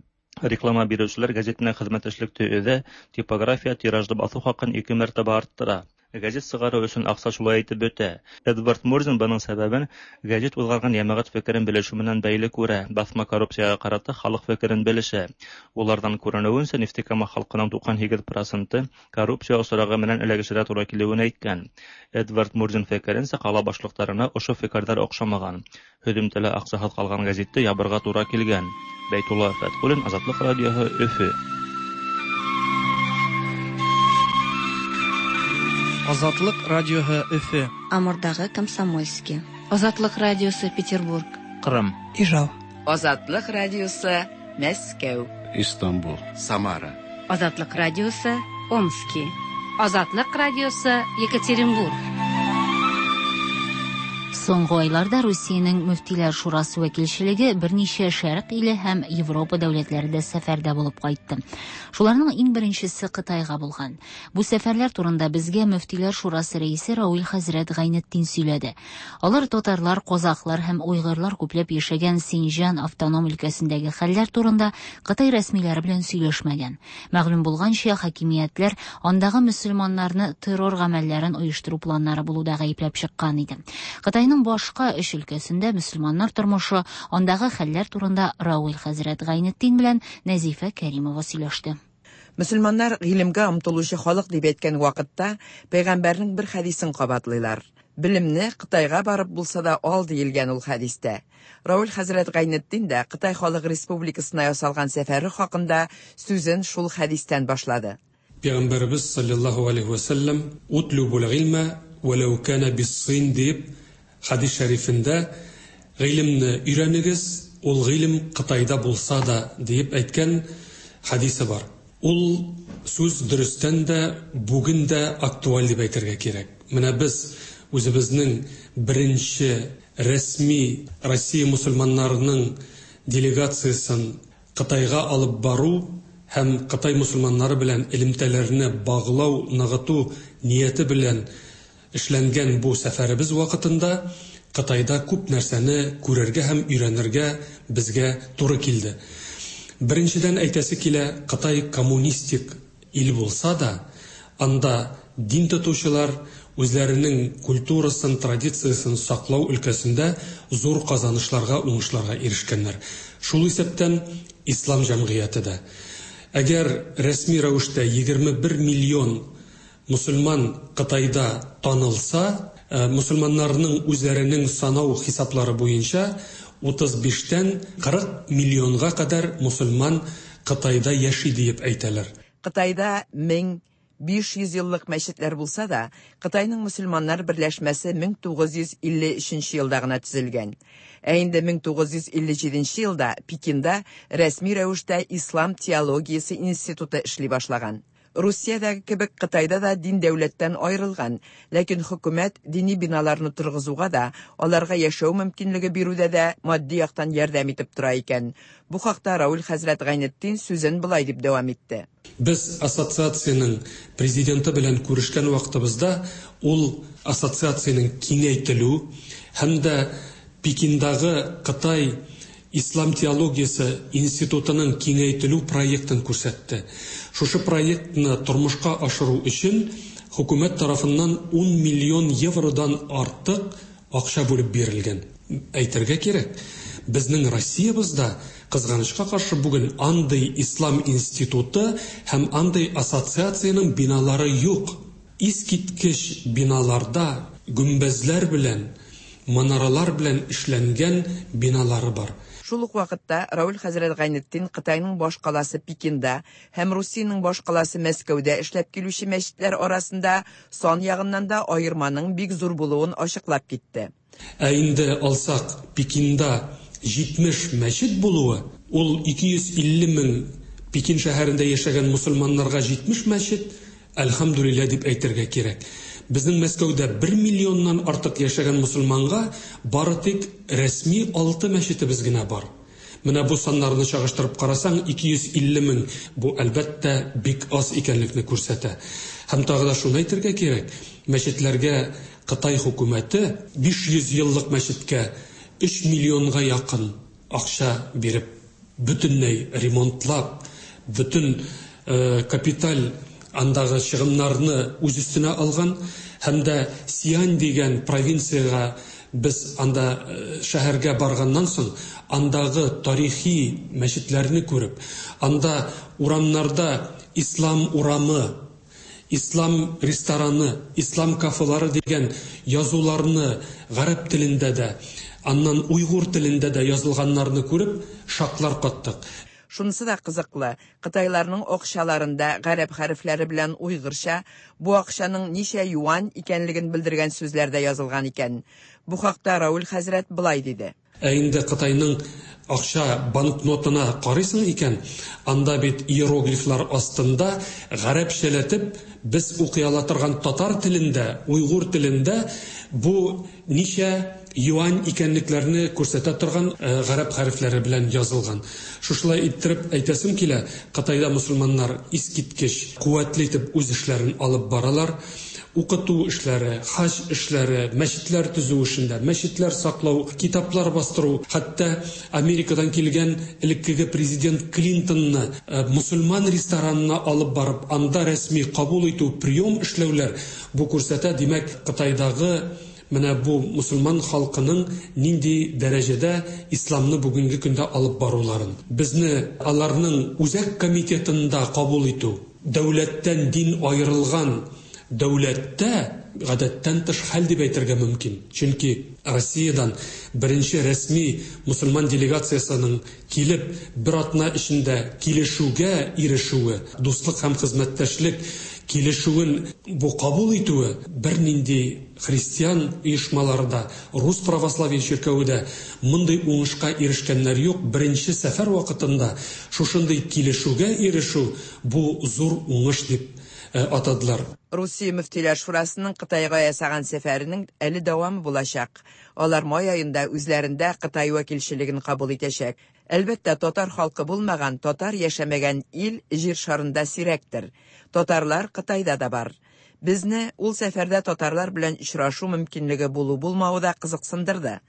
Реклама биреүселәр газет менән хеҙмәттәшлекте өҙә, типография тиражды баҫыу хаҡын 2 мәртәбә арттыра. Газет сығарыу өсөн аҡса шулай итеп бөтә. Эдвард Мурзин бының сәбәбен газет уҙғарған йәмәғәт фекерен белешеү менән бәйле күрә. Баҫма коррупцияға ҡарата халыҡ фекерен белешә. Уларҙан күренеүенсә, Нефтекама халҡының 98% коррупция осрағы менән эләгешергә тура килеүен әйткән. Эдвард Мурзин фекеренсә, ҡала башлыҡтарына ошо фекерҙәр оҡшамаған. Һөҙөмтәлә аҡсаһыҙ ҡалған газетте ябырға тура килгән. Бәйтулла Фәтхуллин, Азатлыҡ радиоһы, Өфө. Азатлык радиоһы Өфө. Амурдагы Комсомольский. Азатлык радиосы Петербург. Кырым. Ижау. Азатлык радиосы Мәскәү. Истанбул. Самара. Азатлык радиосы Омски. Азатлык радиосы Екатеринбург. Соңгы айларда Русиянең Мөфтиләр шурасы вәкилчелеге берничә шәрык иле һәм Европа дәүләтләрендә сәфәрдә булып кайтты. Шуларның иң беренчесе Кытайга булган. Бу сәфәрләр турында безгә Мөфтиләр шурасы рәисе Рауил хәзрәт Гайнетдин сөйләде. Алар татарлар, казахлар һәм уйгырлар күпләп яшәгән Синҗан автоном өлкәсендәге хәлләр турында Кытай рәсмиләре белән сөйләшмәгән. Мәгълүм булганча, хакимиятләр андагы мөселманнарны террор гамәлләрен оештыру планнары булуда гаепләп чыккан иде. Кытайның башка өч өлкәсендә мөселманнар тормышы, андагы хәлләр турында Рауил хәзрәт Гайнетдин белән Нәзифә Кәримова сөйләште. Мөселманнар гыйлемгә омтылучы халык дип әйткән вакытта пәйгамбәрнең бер хәдисен кабатлыйлар. Белемне Кытайга барып булса да ал диелгән ул хәдистә. Рауил хәзрәт Гайнетдин дә Кытай Халык Республикасына ясалган сәфәре хакында сүзен шул хәдистән башлады. Пәйгамбәрбез саллаллаһу алейхи ва саллям утлубул гыйльма валау кана бис-син дип хадис шәрифендә гыйлемне өйрәнегез, ул гыйлем Кытайда булса да дип әйткән хадисе бар. Ул сүз дөрестән дә бүген дә актуаль дип әйтергә кирәк. Менә без үзебезнең беренче рәсми Россия мусульманнарының делегациясын Кытайга алып бару һәм Кытай мусульманнары белән элемтәләрне баглау, ныгыту нияте белән эшләнгән бу сәфәребез вакытында Кытайда күп нәрсәне күрергә һәм өйрәнергә безгә туры килде. Беренчедән әйтәсе килә, Кытай коммунистик ил булса да, анда дин тотучылар үзләренең культурасын, традициясын саклау өлкәсендә зур казанышларга, уңышларга ирешкәннәр. Шул исәптән ислам җәмгыяте дә. Әгәр рәсми рәвештә 21 миллион мусульман Кытайда танылса, мусульманнарның үзләренең санау хисаплары буенча 35-тән 40 миллионга кадәр мусульман Кытайда яши диеп әйтәләр. Кытайда 1500 еллык мәчетләр булса да, Кытайның мусульманнар берләшмәсе 1953 елда гына төзелгән. Ә инде 1957 елда Пекинда рәсми рәвештә Ислам теологиясе институты эшли башлаган. Русиядәге кебек Кытайда да дин дәүләттән аерылган, ләкин хөкүмәт дини биналарны торгызуга да, аларга яшәү мөмкинлеге бирүдә дә матди яктан ярдәм итеп тора икән. Бу хакта Рауил хәзрәт Гайнетдин сүзен болай дип дәвам итте. Без ассоциациянең президенты белән күрешкән вакытыбызда ул ассоциациянең киңәйтелү һәм дә Пекиндагы Кытай Ислам теологиясе институтының киңәйтелү проектын күрсәтте. Шушы проектны тормышка ашыру өчен хөкүмәт тарафыннан 10 миллион евродан артык акча бүлеп бирелгән. Әйтергә кирәк, безнең Россиябездә, кызганычка каршы, бүген андый ислам институты һәм андый ассоциациянең биналары юк. Искиткеч биналарда гөмбәзләр белән, манаралар белән эшләнгән биналары бар. Шул ук вакытта Равил хәзрәт Гайнетдин Кытайның башкаласы Пекинда һәм Русиянең башкаласы Мәскәүдә эшләп килүче мәчетләр арасында сан ягыннан да аерманың бик зур булуын ачыклап китте. Ә инде алсак, Пекинда 70 мәчет булуы, ул 250 мең Пекин шәһәрендә яшәгән мөселманнарга 70 мәчет, әлхәмдүлилләһ дип әйтергә кирәк. Безнең Мәскәүдә 1 миллионнан артык яшәгән мөселманга бары тик рәсми 6 мәчетебез генә бар. Менә бу саннарны чагыштырып карасаң, 250 мең бу, әлбәттә, бик аз икәнлекне күрсәтә. Һәм тагы да шуны әйтергә кирәк, мәчетләргә Кытай хөкүмәте 500 еллык мәчеткә 3 миллионга якын акча биреп, бөтенләй ремонтлап, бөтен капиталь андагы чыгымнарны үз өстенә алган һәм дә Сиань дигән провинциягә без анда шәһәргә барганнан соң, андагы тарихи мәчетләрне күреп, анда урамнарда Ислам урамы, Ислам рестораны, Ислам кафелары дигән язуларны гарәп телендә дә, аннан уйгур телендә дә язылганнарны күреп, шаклар каттык. Шунысы да кызыклы, кытайларның акчаларында гарәп хәрефләре белән уйгырча бу акчаның ничә юань икәнлеген белдергән сүзләр дә язылган икән. Бу хакта Рауль хәзрәт болай диде. Ә инде Кытайның акча банкнотына карыйсың икән, анда бит иероглифлар астында гарәпчәләтеп без укый ала торган татар телендә, уйгур телендә бу ничә юань икәнлекләрне күрсәтә торган гарәп хәрефләре белән язылган. Шушылай иттереп әйтәсем килә, Кытайда мөселманнар искиткеч куәтле итеп үз эшләрен алып баралар. Укыту эшләре, хаҗ эшләре, мәчетләр төзү эшендә, мәчетләр саклау, китаплар бастыру, хәтта Америкадан килгән элеккеге президент Клинтонны мөселман ресторанына алып барып, анда рәсми кабул итү, прием эшләүләр бу күрсәтә, димәк, Кытайдагы менә бу мөселман халкының нинди дәрәҗәдә исламны бүгенге көндә алып баруларын. Безне аларның үзәк комитетында кабул итү, дәүләттән дин аерылган дәүләттә гадәттән тыш хәл дип әйтергә мөмкин. Чөнки Россиядән беренче рәсми мөселман делегациясенең килеп, бер атна эчендә килешүгә ирешүе, дуслык һәм хезмәттәшлек килешүен бу кабул итүе бернинди христиан оешмалары да, рус православие чиркәве дә мондый уңышка ирешкәннәр юк. Беренче сәфәр вакытында шушындый килешүгә ирешү бу зур уңыш дип атадылар. Русия мөфтиләр шурасының Кытайга ясаган сәфәренең әле дәвамы булачак. Алар май аенда үзләрендә Кытай вәкилчелеген кабул итәчәк. Әлбәттә, татар халкы булмаган, татар яшәмәгән ил җир шарында сирәктер. Татарлар Кытайда да бар. Безне ул сәфәрдә татарлар белән очрашу мөмкинлеге булу-булмавы да кызыксындырды.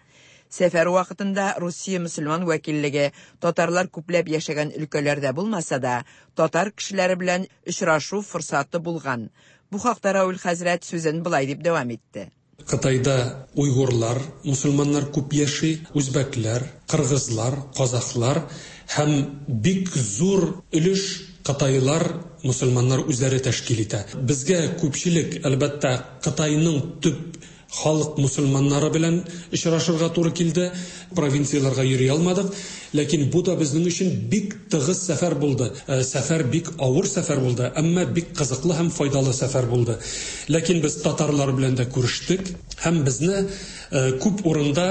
Сәфәр вакытында Русия мөселман вәкиллеге татарлар күпләп яшәгән өлкәләрдә булмаса да, татар кешеләре белән очрашу форсаты булган. Бу хакта Рауль хәзрәт сүзен болай дип дәвам итте. Кытайда уйгурлар, мөселманнар күп яши, үзбәкләр, кыргызлар, казахлар һәм бик зур өлеш кытайлар, мөселманнар үзләре тәшкил итә. Безгә күпчелек, әлбәттә, Кытайның төп халык мөселманнары белән очрашырга туры килде. Провинцияләргә йөри алмадык, ләкин бу да безнең өчен бик тыгыз сәфәр булды. Сәфәр бик авыр сәфәр булды, әмма бик кызыклы һәм файдалы сәфәр булды. Ләкин без татарлар белән дә күрештек һәм безне күп урында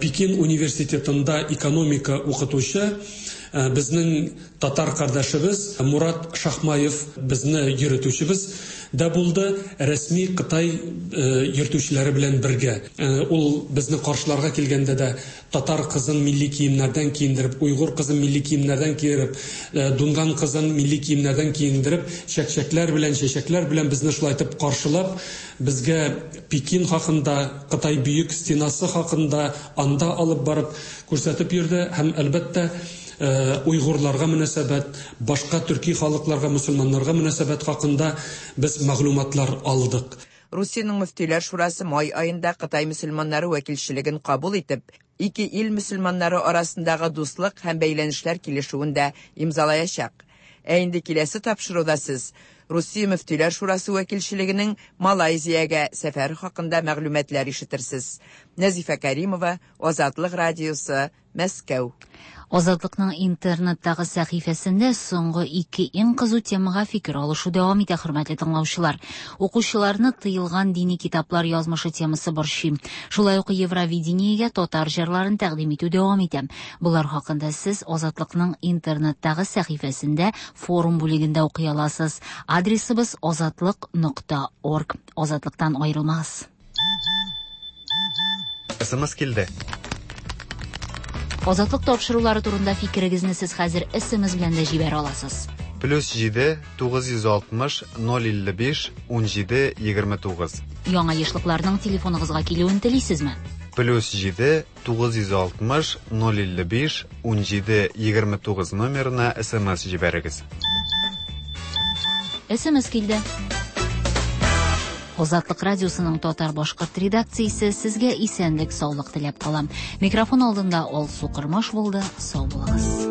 Пекин университетында экономика укытучы безнең татар кардәшебез Мурат Шахмаев безне йөртүчебез дә булды, рәсми Кытай йөртүчеләре белән бергә. Ул безне каршыларга килгәндә дә татар кызын милли киемнәрдән киендереп, уйгур кызын милли киемнәрдән киереп, дунган кызын милли киемнәрдән киендереп, чәкчәкләр белән, чәчәкләр белән безне шулай итеп каршылап, безгә Пекин хакында, Кытай бөек стенасы хакында анда алып барып күрсәтеп йөрде һәм әлбәттә уйгурларга мөнәсәбәт, башка төрки халыкларга, мөселманнарга мөнәсәбәт хакында без мәгълүматлар алдык. Русиянең мөфтиләр шурасы май аенда Кытай мөселманнары вәкилчелеген кабул итеп, ике ил мөселманнары арасындагы дуслык һәм бәйләнешләр килешүен дә имзалаячак. Ә инде киләсе тапшыруда сез Русия мөфтиләр шурасы вәкилчелегенең Малайзиягә сәфәре хакында мәгълүматлар ишетерсез. Нәзифә Кәримова, Азатлык радиосы, Мәскәү. Азатлыкның интернеттагы сәхифәсендә соңгы ике иң кызу темага фикер алышу дәвам итә, хөрмәтле тыңлаучылар. Укучыларны тыелган дини китаплар язмышы темасы борчый. Шулай ук Евровидениегә татар җырларын тәкъдим итү дәвам итә. Болар хакында сез Азатлыкның интернеттагы сәхифәсендә форум бүлегендә укый аласыз. Адресыбыз азатлык.орг. Азатлыктан аерылмагыз. СМС килде. Азатлык тапшырулары турында фикерегезне сез хәзер СМС белән дә җибәрә аласыз. Плюс 7 960 055 17 29. Яңа ешлыкларның телефоныгызга килүен телисезме? Плюс 7 960 055 17 29 номерына СМС җибәрегез. СМС килде. Азатлык радиосының татар-башкорт редакциясе сезгә исәнлек, саулык теләп кала. Микрофон алдында Алсу Кормаш булды. Сау булыгыз.